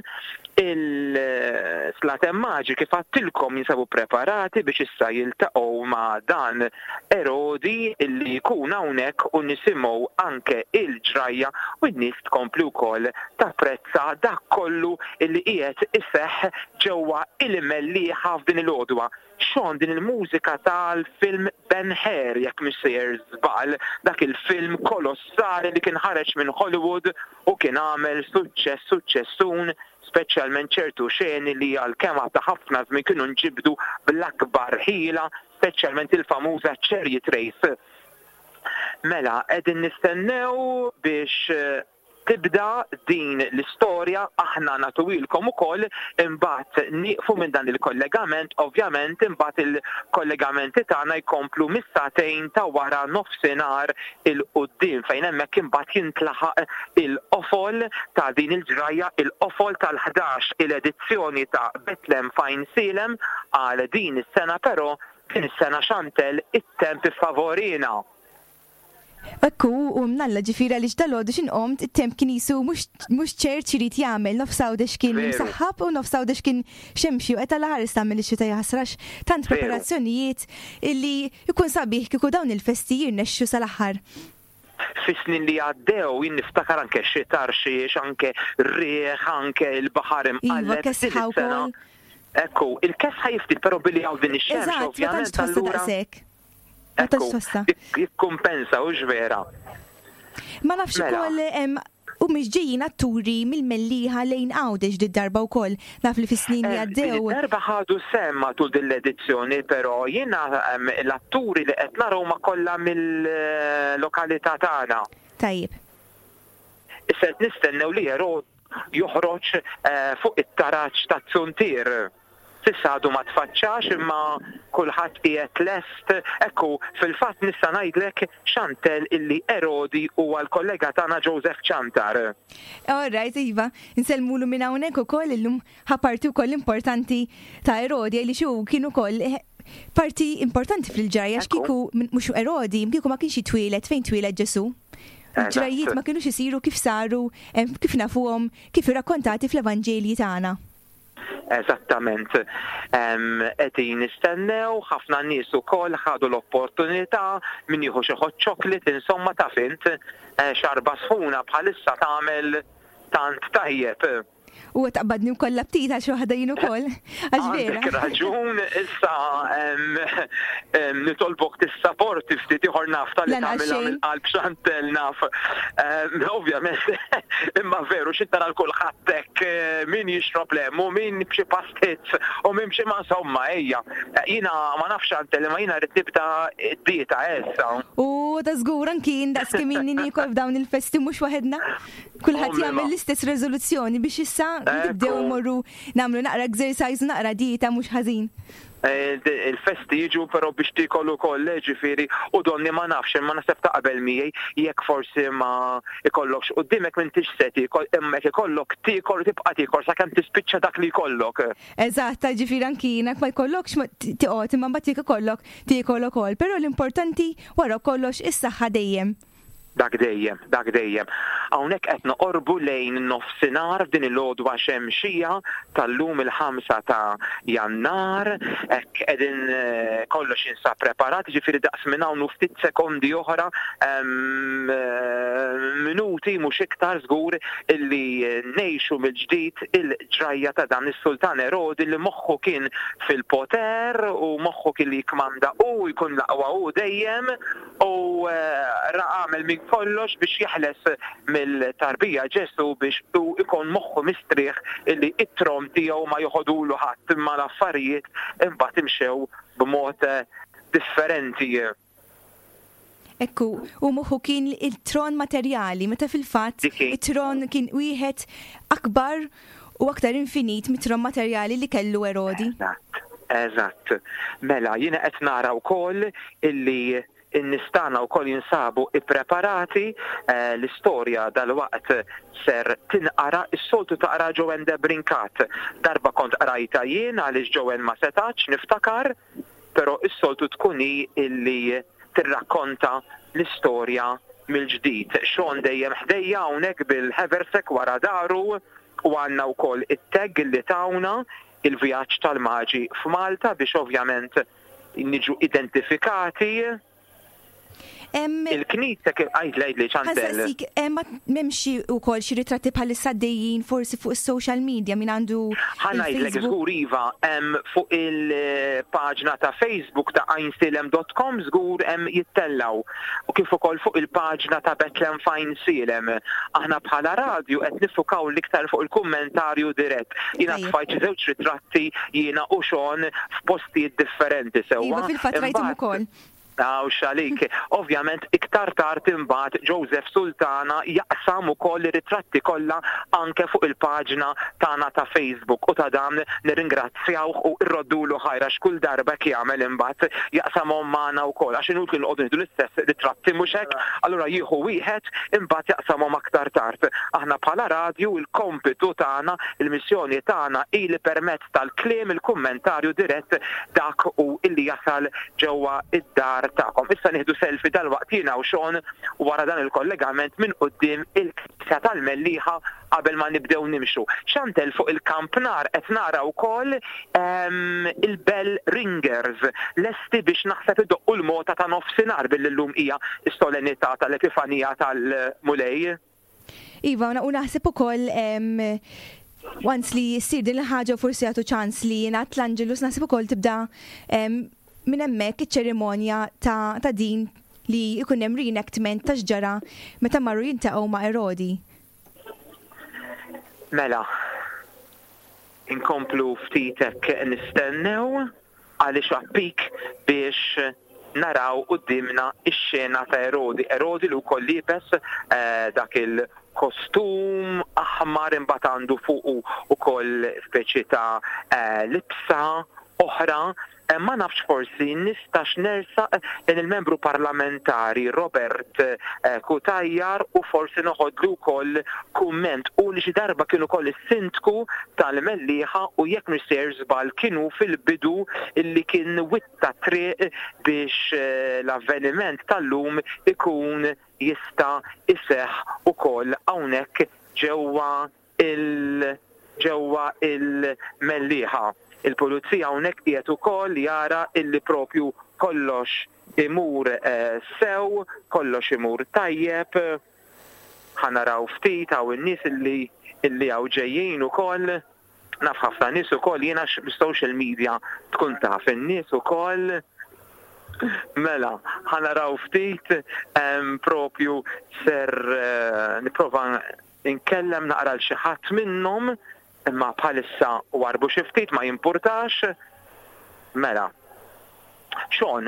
Il-Slaten Maġi, kif għedtilkom, jinsabu preparati biex issa jiltaqgħu ma' dan Erodi illi jkun hawnhekk u nisimgħu anke il-ġrajja u n-nies tkompli wkoll tapprezza dak kollu illi qiegħed iseħħ ġewwa il-Mellieħa f'din il-għodwa. Sean, din il-mużika tal-film Ben Hur, jekk mhix sejjer żball, dak il-film kolossali li kien ħareġ minn Hollywood u kien għamel suċċess suċċessun, speċjalment ċertu xeni li għalkemm ta' ħafna żmien kienu nġibdu bl-akbar ħila, speċjalment il-famuża Chariot Race. Mela, qegħdin nistennew biex eh, tibda din l-istorja, aħna nagħtuhielkom ukoll, imbagħad nieqfu minn dan il-kollegament, ovvjament imbagħad il-kollegamenti tagħna jkomplu mis-sagħtejn ta' wara nofsinhar 'il quddiem, fejn hemmhekk imbagħad jintlaħaq il-qofol ta' din il-ġrajja, il-qofol tal-ħdax il-edizzjoni ta' Betlem f'Għajnsielem għal din is-sena, però din is-sena, Chantel, it-temp favorina. Ekku, u mnalla ġifieri li dalgħodu x'ħin qomt, it-temp kien jisu mhux ċert x'irid jagħmel, nofs Għawdex kien msaħħab u nofs Għawdex kien xemxi u qed għal ħares tagħmel ix-xita jaħsrax tant preparazzjonijiet illi jkun sabiħ kieku dawn il-festi jirnexxu sal-aħħar. Fis-snin li għaddew jien niftakar anke xita rxiex, anke riħ, anke il-baħar imqalleb. Iva, kesħa wkoll. Ekku, il-kesħa jiftit, però billi hawn din ix-xemx ovvjament allura. Ekku, jikkumpensa u vera. Ma nafx ukoll u mhux ġejjin atturi mill-Mellieħa lejn Għawdex di darba wkoll naf li fis-snin li għaddew. Darba ħadu sehem matul din l-edizzjoni, però jiena l-atturi li qed naraw ma kollha mill-lokalità tagħna. Tajjeb. Issa qed nistennew li Erod joħroġ fuq it-taraġ tat-Zuntier. S'issa għadu ma tfaċċax imma kulħadd qiegħed lest. Ekku, fil-fatt nista' ngħidlek Chantel illi Erodi huwa l-kollega tagħna Joseph Ciantar. All right, iva, nsellmulu minn hawnhekk ukoll illum ħa parti wkoll importanti ta' Erodi li xu kien ukoll parti importanti fil-ġrajja x'kieku mhux Erodi, kieku ma kienx jitwieled fejn twieled Ġesu. Il-ġrajjiet ma kienux isiru kif saru, kif nafuhom, kif irrakkontati fl-Evanġelji tagħna. Eżattament. Qegħdin nistennew, ħafna nies ukoll ħadu l-opportunità min jieħu xi hot chocolate, insomma taf int, xarba sħuna bħalissa tagħmel tant tajjeb. U taqbadni wkoll l-aptit għal xi waħda jien ukoll. Għax vera. Għandek raġun, issa nitolbok tissaporti ftit ieħor naf tal-li tagħmilha mill-qalb Chantel naf. Ovvjament, imma veru xi tara l kulħadd hekk min jixrob lem u min b'xi pastizz u min b'xi ma insomma ejja. Jiena ma nafx Chantel imma jiena rrid nibda d-dieta issa. U ta' żgur anki jien daqs kemm inni niekol f'dawn il-festi mhux waħedna. Kulħadd jagħmel l-istess reżoluzzjoni biex issa nibdew imorru nagħmlu naqra exercise u naqra dieta mhux ħażin. Il-festi jiġu però biex tiekol ukoll, ġifieri, u donni ma nafx imma naħseb taqbel miegħi jekk forsi ma ikollokx quddiemek m'intix se tiekol imma jekk ikollok tiekol u tibqa' tiekol sakemm tispiċċa dak li jkollok. Eżatt, ġifieri anki jiena ma jkollokx tiqgħod imma mbagħad jekk ikollok tiekol ukoll, però l-importanti wara kollox is-saħħa dejjem. Dak dejjem, dak dejjem. Hawnhekk qed noqorbu lejn nofsinhar f'din il-għodwa xemxija tal-lum il-ħamsa ta' Jannar, hekk qegħdin kollox jinsab preparat, ġifieri daqs minn hawn u ftit sekondi oħra, minuti mhux iktar żgur illi ngħixu mill-ġdid il-ġrajja ta' dan is-Sultan Erodi li moħħu kien fil-poter u moħħu kien li jikmanda u jkun l-aqwa u dejjem u ra għamel minn kollox biex jeħles mill-tarbija Ġesu biex u ikun moħħu mistrieħ illi it-tron tiegħu ma joħodulu ħadd imma l-affarijiet imbagħad imxew b'mod differenti. Ekku, u moħħu kien il-tron materjali, meta fil-fatt it-tron kien wieħed akbar u aktar infinit mit-tron materjali li kellu Erodi. Eżatt, eżatt. Mela, jiena qed nara wkoll illi in-nies tagħna wkoll jinsabu ippreparati, l-istorja dalwaqt ser tinqara, is-soltu taqra Joanne de Brincat. Darba kont qrajta jien għaliex Joanne ma setax niftakar, però is-soltu tkun hi illi tirrakkonta l-istorja mill-ġdid. Sean dejjem ħdejja hawnhekk bil-Haversack wara daru u għandna wkoll it-tag li tawna il-vjaġġ tal-maġi f'Malta biex ovvjament niġu identifikati. Il-knisja kif għajd lejli Chantel. Ħansaqsik, ma m'hemmx ukoll xi ritratti bħalissa għaddejjin forsi fuq is-social media min għandu Ħa ngħidlek żgur iva, hemm fuq il-paġna ta' Facebook ta' għajnsielem dot com żgur hemm jittellaw. U kif ukoll fuq il-paġna ta' Bethlehem f'Għajnsielem. Aħna bħala radju qed nifukaw l-iktar fuq il-kummentarju dirett. Jiena tfajt xi żewġ ritratti jiena u Sean f'postijiet differenti sewwa. Iva, fil-fatt rajthom ukoll. Aw xalik. Ovvjament iktar tard imbagħad Joseph Sultana jaqsam ukoll ir-ritratti kollha anke fuq il-paġna tagħna ta' Facebook u ta' dan nirringrazzjawh u rroddulu ħajra x'kull darba jekk jagħmel imbagħad jaqsamhom magħna wkoll għax inutli noqogħdu nieħdu l-istess ritratti mhux hekk, allura jieħu wieħed imbagħad jaqsamhom aktar tard. Aħna bħala radju il-kompitu tagħna, il-missjoni tagħna hi li permezz tal-kliem il-kummentarju dirett dak u illi jasal ġewwa id-dar id-dar tagħkom. Issa nieħdu selfie dalwaqt jiena u Sean wara dan il-kollegament minn quddiem il-Knisja tal-Mellieħa qabel ma nibdew nimxu. Chantel fuq il-kampnar qed nara wkoll ehm, il-bell ringers lesti biex naħseb idoqqu l-mota ta' nofsinhar billi llum hija s-solennità tal-Epifanija tal-Mulej. Iva, u naħseb ukoll ehm, once li ssir din il-ħaġa u forsi jagħtu ċans li jingħad l-Angelus naħseb ukoll tibda ehm, minn hemmhekk iċ-ċerimonja ta', ta' din li jkun hemm reenactment ta' x'ġara meta marru jiltaqgħu ma' Erodi. Mela, inkomplu ftit hekk nistennew għaliex appik biex naraw qudiemna ix-xena ta' Erodi. Erodi li wkoll liebes eh, dak il-kostum aħmar imbagħad għandu fuqu ukoll speċi ta' eh, libsa oħra. Eh, Ma nafx forsi nistax nersaq lejn il-membru parlamentari Robert eh, Cutajar u forsi noħodlu wkoll kumment u li xi darba kienu ukoll is-sindku tal-Mellieħa u jekk mhux sejjer żball kienu fil-bidu illi kien witta triq biex eh, l-avveniment tal-lum ikun jista' iseħħ ukoll hawnhekk ġewwa il ġewwa il-Mellieħa. Il-pulizija hawnhekk qiegħed ukoll jara illi propju kollox imur eh, sew, kollox imur tajjeb. Ħa naraw ftit hawn in-nies illi illi hawn ġejjin ukoll. Naf ħafna nies ukoll jiena social media tkun taf in-nies ukoll. Mela, ħa naraw ftit em, propju ser eh, nipprova nkellem naqra l xi ħadd minnhom imma bħalissa warbu xi ftit ma jimpurtax. Mela. Sean,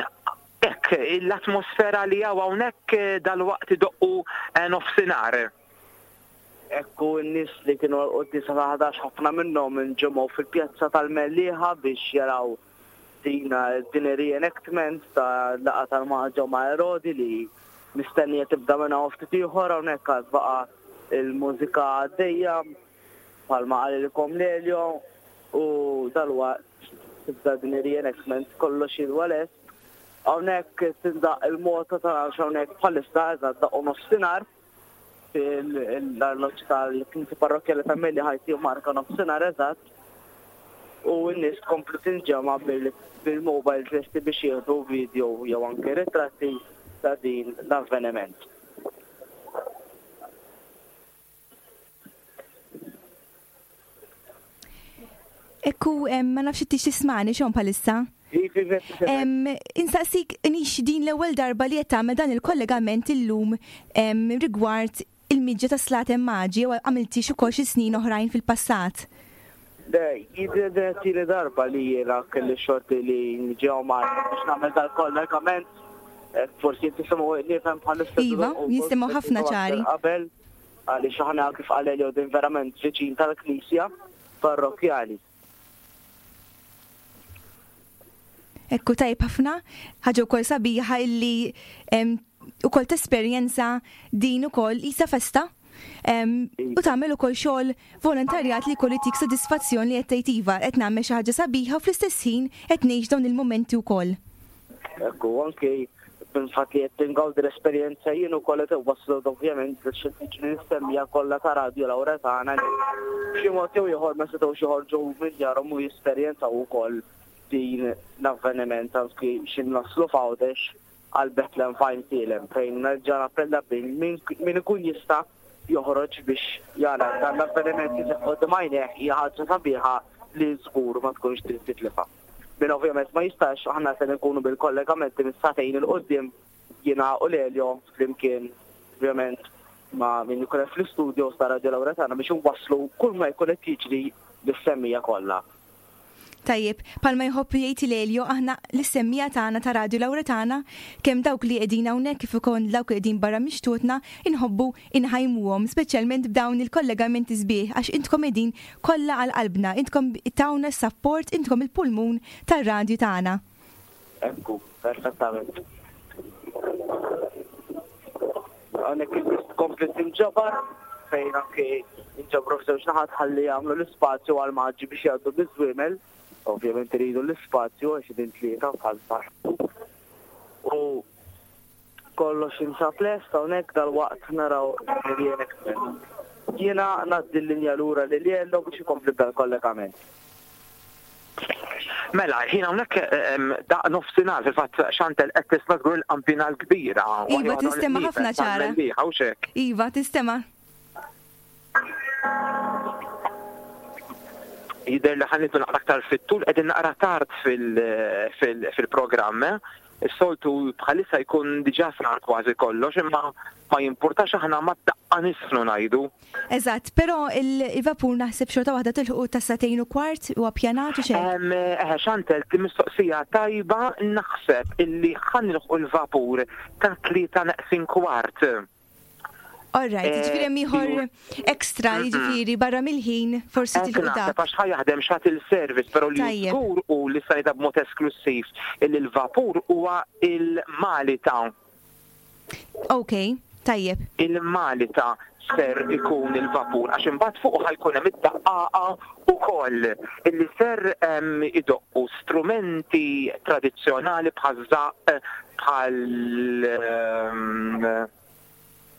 hekk l-atmosfera li hawn hawnhekk eh, dalwaqt idoqqu eh, nofsinhar. Ekku n-nies li kienu għal-quddiesa ta' ħdax ħafna minnhom inġemgħu fil-pjazza tal-Mellieħa biex jaraw din din reenactment ta' laqgħa tal-Maġi ma' Erodi li mistennija tibda minn hawn ftit ieħor hawnhekk għad baqa' il-mużika għaddejja bħalma qalilkom Lelio u dalwaqt tibda din reenactment kollox jidwa lest. Hawnhekk tindaq il-mota ta' hawnhekk bħalissa eżatt daqqu nofsinhar fil-arloġġ tal-Knisja Parrokkjali ta' Mellieħa ħajti marka nofsinhar eżatt u n-nies tkompli tinġema' bil-mobile lesti biex jieħdu video jew anke ritratti ta' din l-avveniment. Ekku, ma nafx inti tismani Sean bħalissa. Insaqsik nix din l-ewwel darba li qed tagħmel dan il-kollegament illum rigward il-miġja ta' Slaten Maġi jew għamilti xi ukoll xi snin oħrajn fil-passat. Le, jidher tieni darba li jiena kelli xorti li niġi hawn Malta biex nagħmel dal-kollegament. Forsi tisimgħu nifhem bħalissa. Iva, jisimgħu ħafna ċari. Qabel għaliex aħna kif qal Elio din verament viċin tal-Knisja parrokkjali. Ekku tajb ħafna, ħaġa wkoll sabiħa illi ukoll tesperjenza din ukoll isa festa. U tagħmel ukoll xogħol volontarjat li jkollu jtik sodisfazzjon li qed tgħid iva qed nagħmel xi ħaġa sabiħa u fl-istess ħin qed ngħix dawn il-mumenti wkoll. Ekku, anke bil-fatt li qed tingawdi l-esperjenza jien ukoll qed iwasslu ovvjament l-istemmija kollha ta' Radio Lauretana li b'xi mod jew ieħor ma setgħux joħorġu minn djarhom u jesperjenzaw ukoll din l-avveniment anki xi naslu f'Għawdex għal Bethlehem f'Għajnsielem fejn nerġa' nappella bil min ikun jista' joħroġ biex jara dan l-avveniment li seħħ quddiem għajnejh hija ħaġa sabiħa li żgur ma tkunx trid titlifha. Min ovvjament ma jistax, aħna se nkunu bil-kollegamenti mis-sagħtejn il quddiem jiena u Lelio flimkien ovvjament ma' min ikun hemm fl-istudio ta' Radio Lauretana biex inwasslu kull ma jkun qed jiġri lis-semmija kollha. Tajjeb, palma jħobb jgħid Lelio, aħna l-semmija tagħna ta' Radio Lauretana, kemm dawk li qegħdin hawnhekk kif ukoll dawk li qegħdin barra mixtutna, inħobbu inħajmuhom, speċjalment b'dawn il-kollegamenti sbieħ, għax intkom qegħdin kollha għal qalbna, intkom tawna s-sapport, intkom il-pulmun tar-radju tagħna. Ekku, perfettament. Hawnhekk il-nies tkompli tinġabar fejn anke inġabru f'żewġ naħat ħalli jagħmlu l-ispazju għal maġi biex jgħaddu biż-żwiemel. Ovvjament iridu l-ispazju għax din tlieta bħal taħt. U Kollox jinsab lest hawnhekk, dalwaqt naraw reenactment. Jiena ngħaddi l-linja lura lil Jello biex ikompli b'dal-kollegament. Mela, ħin hawnhekk daqq nofsinhar, fil-fatt Chantel qed tisma' żgur il-qampina l-kbira. Iva, tistema' ħafna ċara. Iva, tistema'. Jidher li ħa nidħlu naqra aktar fit-tul, qegħdin naqra tard fil-programm. Is-soltu bħalissa jkun diġà sar kważi kollox, imma ma jimpurtax, aħna ma daqqa nisfnu ngħidu. Eżatt, però il-vapur naħseb xorta waħda tilħu ta' sagħtejn u kwart u appjanat u xejn. Eħe, Chantel, mistoqsija tajba, naħseb illi ħa nilħqu l-vapur ta' tlieta neqsin kwart. All right, jiġifieri hemm ieħor extra, jiġifieri barra mill-ħin forsi tilħu dak. Għax ħa jaħdem shuttle service, però li żgur u li sanita b'mod esklussiv illi l-vapur huwa il-Malita. Ok, tajjeb. Il-Malita ser ikun il-vapur, għax imbagħad fuq ħajkun hemm id-daqqaqa ukoll illi ser idoqqu strumenti tradizzjonali bħaż-żaqq, bħal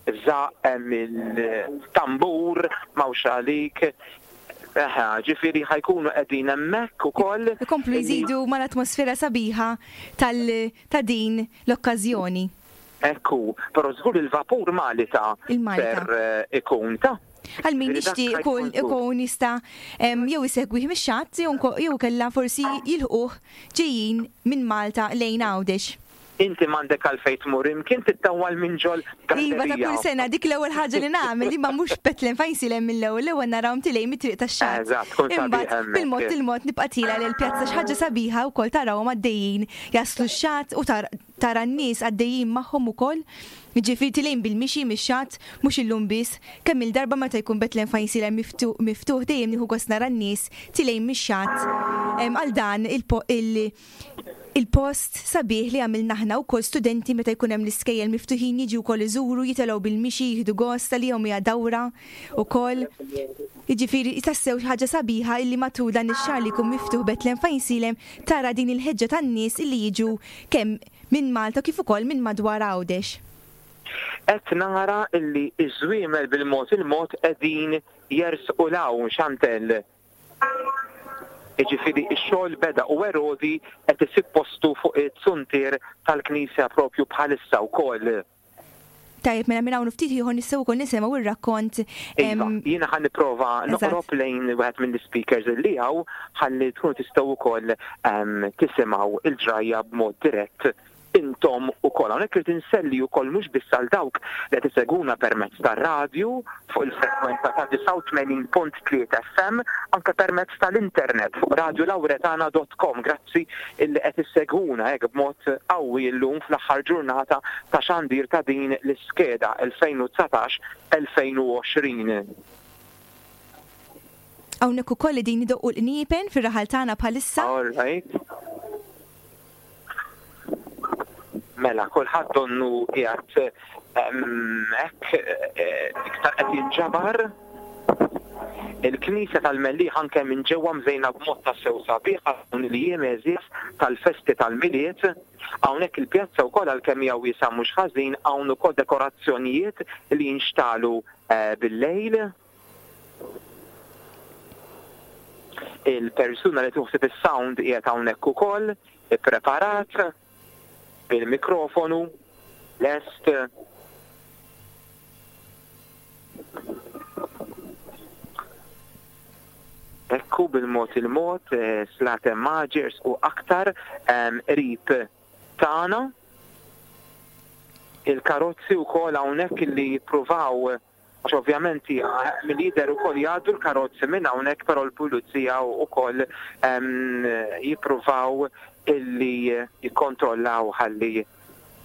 żaqq, hemm il-tambur, m'hawnx għalik. Eħe, ġifieri ħajkunu qegħdin hemmhekk ukoll. Ikomplu jżidu mal-atmosfera sabiħa ta' din l-okkażjoni. Ekku, però żgur il-vapur Malita ser ikun ta' Għal min jixtieq ikun jista' jew isegwih mix-xatt jew kellha forsi jilħquh ġejjin minn Malta lejn Għawdex. Inti m'għandek għalfejn tmur imkien tittawwal minn ġol gallerija. Iva, ta' kull sena dik l-ewwel ħaġa li nagħmel, imma mhux Bethlehem Fajnsilem mill-ewwel, l-ewwel narawhom tilej mit-triq tax-xatt. Eżatt, tkun sabiħ hemmhekk. Bil-mod il-mod nibqa' tila lil pjazza xi ħaġa sabiħa wkoll tarawhom għaddejjin jaslu x-xatt u tara n-nies għaddejjin magħhom ukoll. Jiġifieri tilejn bil-mixi mix-xatt, mhux illum biss, kemm il-darba meta jkun Bethlehem Fajnsilem miftuħ dejjem nieħu gost nara n-nies tilejn mix-xatt għal dan il-post sabiħ li għamilna aħna wkoll studenti meta jkun hemm l-iskejjel miftuħin jiġu wkoll iżuru, jitilgħu bil-mixi, jieħdu gost għalihom hija dawra wkoll. Jiġifieri tassew xi ħaġa sabiħa illi matul dan ix-xahar li jkun miftuħ Bethlehem Fajnsilem tara din il-ħeġġa tan-nies illi jiġu kemm minn Malta kif ukoll minn madwar Għawdex. Qed nara illi ż-żwiemel bil-mod il-mod qegħdin jersqu l-hawn, Chantel. Jiġifieri x-xogħol beda u Erodi qed isib postu fuq it-suntier tal-Knisja propju bħalissa wkoll. Tajjeb, mela minn hawn ftit ieħor nistgħu wkoll nisimgħu ir-rakkont. Iva, jiena ħa nipprova noqrob lejn wieħed mill-speakers li hawn ħalli tkunu tistgħu wkoll tisimgħu il-ġrajja b'mod dirett intom ukoll. Hawnhekk irid inselli wkoll mhux biss għal dawk li qed isegwuna permezz tar-radju fuq il-frekwenza ta' disgħa u tmenin punt tlieta F M, anke permezz tal-internet fuq radio lauretana dot com. Grazzi illi qed issegwuna hekk b'mod qawwi llum fl-aħħar ġurnata ta' xandir ta' din l-iskeda elfejn u dsatax elfejn u għoxrin. Hawnhekk ukoll qegħdin idoqqu l-qniepen fir-raħal tagħna bħalissa. All right. Mela, kulħadd donnu qiegħed hekk iktar qed jinġabar. Il-Knisja tal-Mellieħ anke minn ġewwa mżejna b'mod tassew sabiħ dawn il-jiem għeżież tal-festi tal-Milied. Hawnhekk il-pjazza wkoll għalkemm hija wiesgħa mhux ħażin, hawn ukoll dekorazzjonijiet li jinxtalu bil-lejl. Il-persuna li tuħsib is-sound qiegħed hawnhekk ukoll, ippreparat bil-mikrofonu, lest. Ekku bil-mod il-mod, Slate Maġers u aktar qrib tagħna. Il-karozzi wkoll hawnhekk li jippruvaw, għax ovvjament mill-lider ukoll jgħaddu l-karozzi minn hawnhekk, però l-pulizija wkoll jippruvaw illi jikkontrollaw ħalli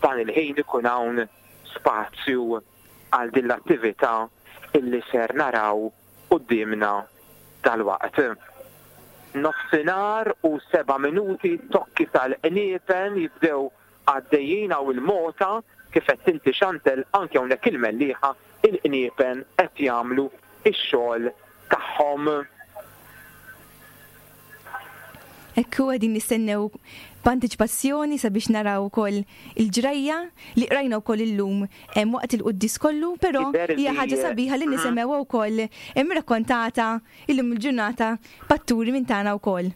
dan il-ħin ikun hawn spazju għal din l-attività illi ser naraw quddiemna dalwaqt. Nofsinhar u seba' minuti tokki tal-qniepen jibdew għaddejjin hawn il-mota kif qed tinti Chantel anke hawnhekk il-Mellieħa il-qniepen qed jagħmlu x-xogħol tagħhom. Ekku qegħdin nistennew b'antiċipazzjoni sabiex naraw ukoll il-ġrajja li qrajna wkoll illum hemm waqt il-quddies kollu, però Jidher hija li- ħaġa sabiħa li nisimgħu wkoll hemm rakkontata illum il-ġurnata b'atturi minn tagħna wkoll.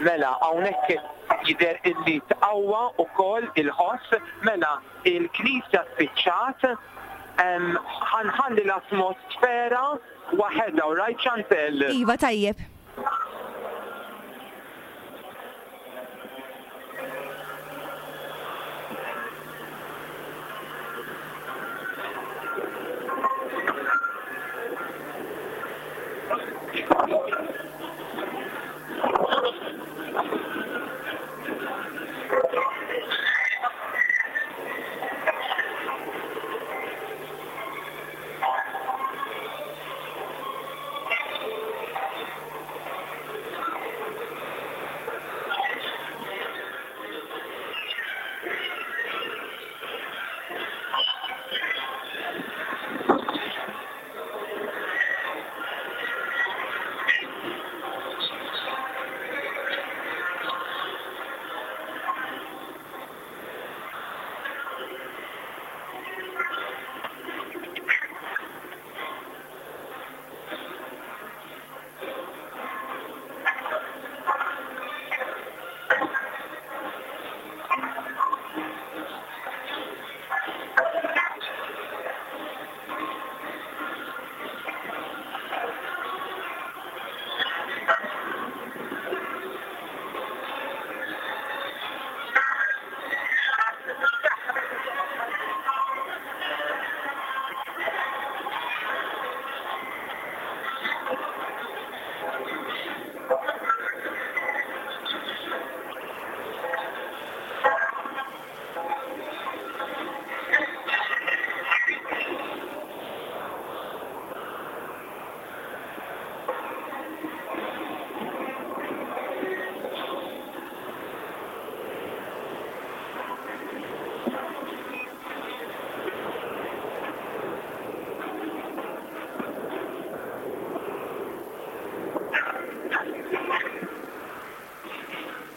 Mela, hawnhekk jidher illi tqawwa wkoll il-ħoss, mela il-knisja spiċċat, em, ħanħalli l-atmosfera waħedha, all right, Chantel? Iva, tajjeb.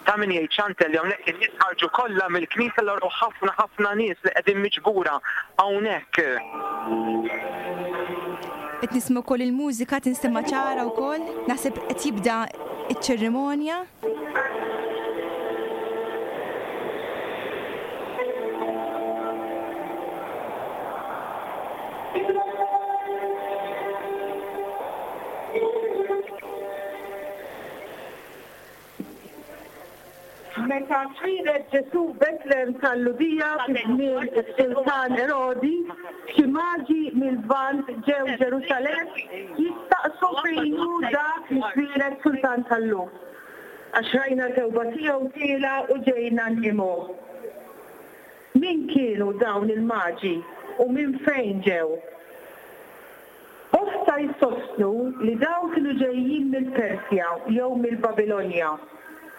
Ta' min jgħid Chantel li hawnhekk in-nies ħarġu kollha mill-knisja l ħafna ħafna nies li qegħdin miġbura hawnhekk. Qed nisma' wkoll il-mużika tinstema' ċara wkoll, naħseb qed jibda iċ-ċerimonja. Meta twieled Ġesù Betlem tal-Lhudija fi żmien is-Sultan Erodi, xi maġi mill-Lvant ġew Ġerusalemm jistaqsu fejn hu dak li twieled Sultan tal-Lhud. Għax rajna l-kewba tiegħu tiela u ġejna nqimuh. Min kienu dawn il-maġi u minn fejn ġew? Bosta jsostnu li dawn kienu ġejjin mill-Persja jew mill-Babilonja,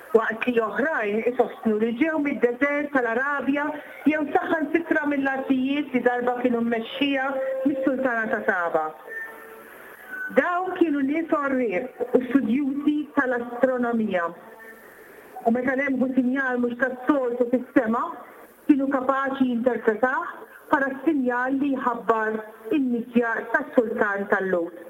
waqt li oħrajn isostnu li ġew mid-deżert tal-Arabja jew saħansitra mill-artijiet li darba kienu mmexxija mis-Sultana ta' Saba. Dawn kienu nies għorrief u studjużi tal-astronomija. U meta lemħu sinjal mhux tas-soltu fis-sema, kienu kapaċi jinterpretah bħala sinjal li jħabbar in-nisja tas-Sultan tal-Lhud.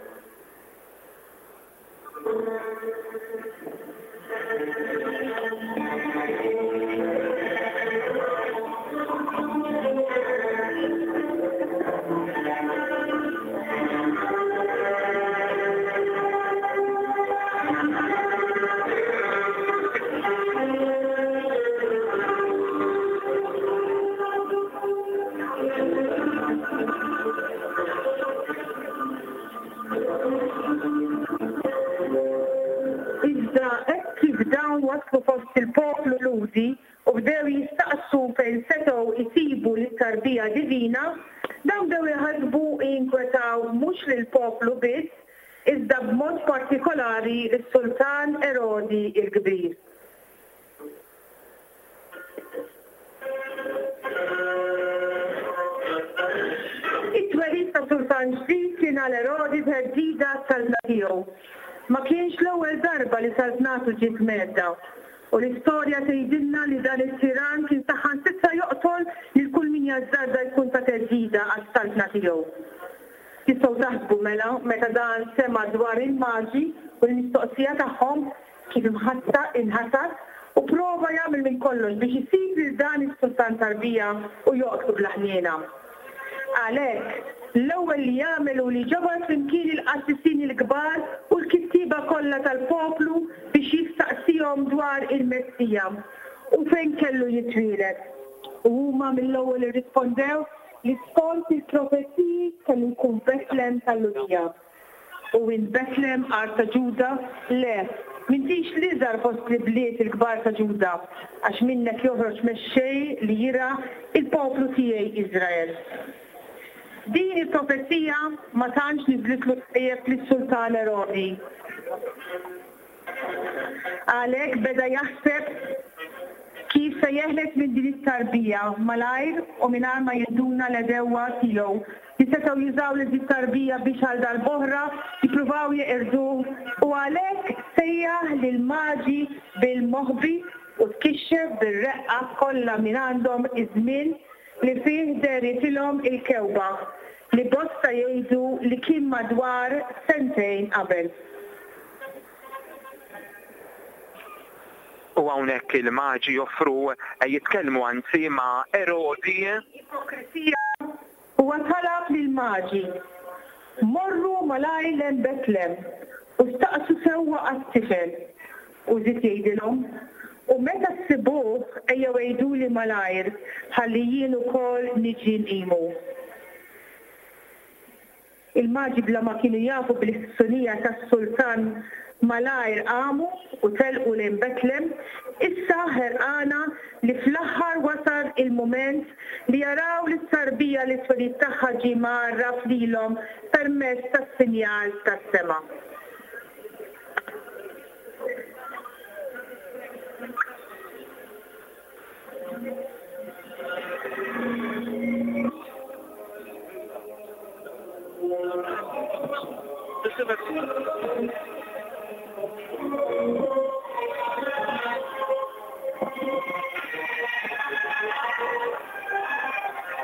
Iżda hekk kif dawn waslu fost il-poplu Lhudi u bdew jistaqsu fejn setgħu jsibu lit-tarbija divina, dawn bdew iħassbu u jinkwetaw mhux lill-poplu biss, iżda b'mod partikolari lis-Sultan Erodi l-Kbir. It-twelid ta' sultan ġdid kien għal Erodi theddida għas-saltna tiegħu. Ma kienx l-ewwel darba li saltnatu ġiet mhedda. U l-istorja tgħidilna li dan it-tirann kien saħansitra joqtol lil kull min jażżarda jkun ta' theddida għas-saltna tiegħu. Tistgħu taħsbu mela meta dan sema' dwar il-Maġi u l-mistoqsija tagħhom kif imħassa inħasad u prova jagħmel minn kollox biex isib lil dan is-sultan tarbija u joqtlu bla ħniena. Għalhekk, l-ewwel li jagħmel hu li ġabar flimkien il-qassisin il-kbar u l-kittieba kollha tal-poplu biex jistaqsihom dwar il-Messija u fejn kellu jitwieled. U huma mill-ewwel irrispondew li skont il-profeziji kellu jkun Betlem tal-Lhudija. U int Betlem, art ta' Ġuda? Le, m'intix l-iżgħar fost l-ibliet il-kbar ta' Ġuda, għax minnek joħroġ mexxej li jirgħa l-poplu tiegħi Iżrael. Din il-profezija ma tantx niżlitlu tajjeb lis-sultan Erodi. Għalhekk beda jaħseb kif se jeħles minn din it-tarbija malajr u mingħajr ma jinduna l-għedewwa tiegħu li setgħu jużaw lil din it-tarbija biex għal darb'oħra jippruvaw jeqirduh u għalhekk sejjaħ lill-Maġi bil-moħbi u tkixxef bir-reqqa kollha mingħandhom iż-żmien li fih dehritilhom il-kewba li bosta jgħidu li kien madwar sentejn qabel. U hawnhekk il-Maġi joffru, jitkellmu anzi ma' Erodi. Ipokrisija. Huwa talab lill-Maġi, Morru malajr lejn Betlem u staqsu sewwa għat-tifel. U żied jgħidilhom, U meta ssibuh, ejjew għiduli malajr, ħalli jien ukoll niġi nqimu. Il-Maġi bla ma kienu jafu bil-ħsunija tas-sultan malajr qamu u telqu lejn Betlem, issa ħerqana li fl-aħħar wasal il-mument li jaraw lit-tarbija li t-twelid tagħha ġie mgħarraf lilhom permezz tas-sinjal tas-sema.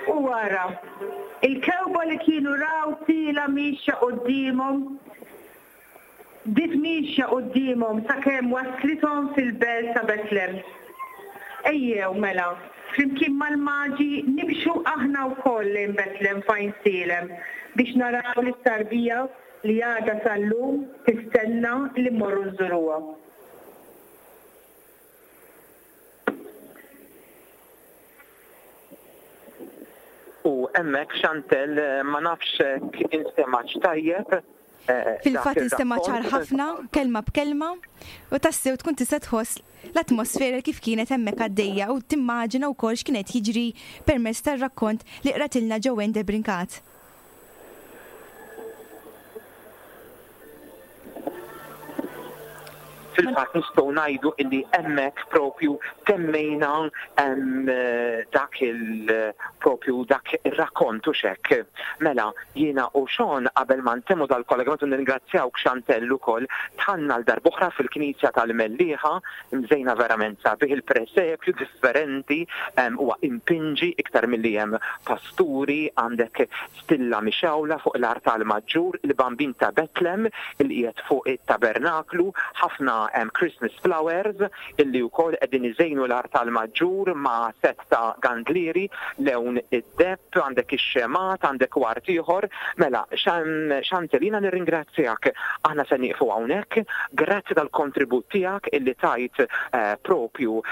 U ara, il-kewba li kienu raw tiela' miexja quddiemhom, bdiet miexja quddiemhom sakemm wasslithom fil-belt ta' Betlem. Ejjew, mela, flimkien mal-Maġi nimxu aħna wkoll lejn Betlem f'Għajnsielem biex naraw lit-tarbija li għadha sal-lum tistenna li mmorru nżuruha. U hemmhekk Chantelle ma nafx hekk instemgħetx tajjeb. Fil-fatt instema' ċar ħafna, kelma b'kelma, u tassew tkun tista' tħoss l-atmosfera kif kienet hemmhekk għaddejja u timmaġina wkoll x'kien qed jiġri permezz tar-rakkont li qratilna Joanne Debrincat. Fil-fatt nistgħu ngħidu illi hemmhekk propju temmejna dak il propju dak ir-rakkont u x'hekk. Mela jiena u Sean qabel ma ntemmu dal-kollegament u nirringrazzjawk Chantelle ukoll dħalna l darb'oħra fil-Knisja tal-Mellieħa mżejna verament sabiħ il-presepju differenti huwa impinġi iktar milli hemm pasturi, għandek stilla mixgħula fuq l-artal maġġur, il-Bambin ta' Betlem il qiegħed fuq it-tabernaklu, ħafna Christmas flowers illi wkoll qegħdin iżejnu l-artal maġġur ma' set ta' gandlieri lewn id-depp, għandek ix-xemat, għandek wart ieħor. Mela, Chantelle, jiena nirringrazzjak. Aħna se nieqfu hawnhekk. Grazzi tal-kontribut tiegħek illi tajt propju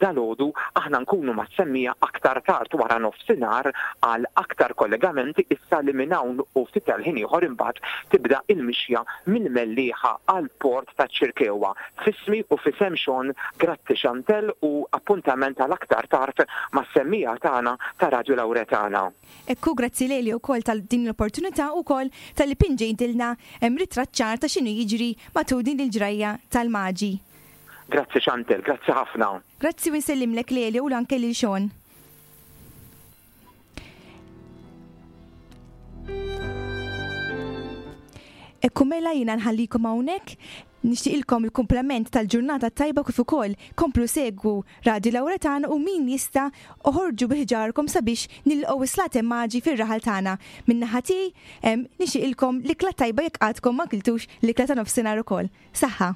dalgħodu. Aħna nkunu ma' semmija aktar tard wara nofsinhar għal aktar kollegamenti issa li minn hawn u ftit tal-ħin ieħor imbagħad tibda il-mixja mill-Mellieħa għall-port ta' Ċirkewwa. ġewwa. F'ismi u f'isem Sean, grazzi Chantelle u appuntament għal aktar tard mas-semmiegħa tagħna ta' Radju Lawretana. Ekku, grazzi lili wkoll tal din l-opportunità wkoll talli pinġejtilna ritratt ċar ta' x'inhu jiġri matul din il-ġrajja tal-Maġi. Grazzi Chantelle, grazzi ħafna. Grazzi u nsellimlek lili u anke lil Sean. Ekku mela jiena nħallikom hawnhekk, nixtieqilkom il-kumplament tal-ġurnata tajba kif ukoll komplu segwu Radio Lawretan u min jista' oħorġu bi ħġarkom sabiex nilqgħu is-slaten maġi fir-raħal tagħna. Min-naħa tiegħi nixtieqilkom l-ikla tajba jekk għadkom ma kiltux l-ikla ta' nofsinhar ukoll. Saħħa!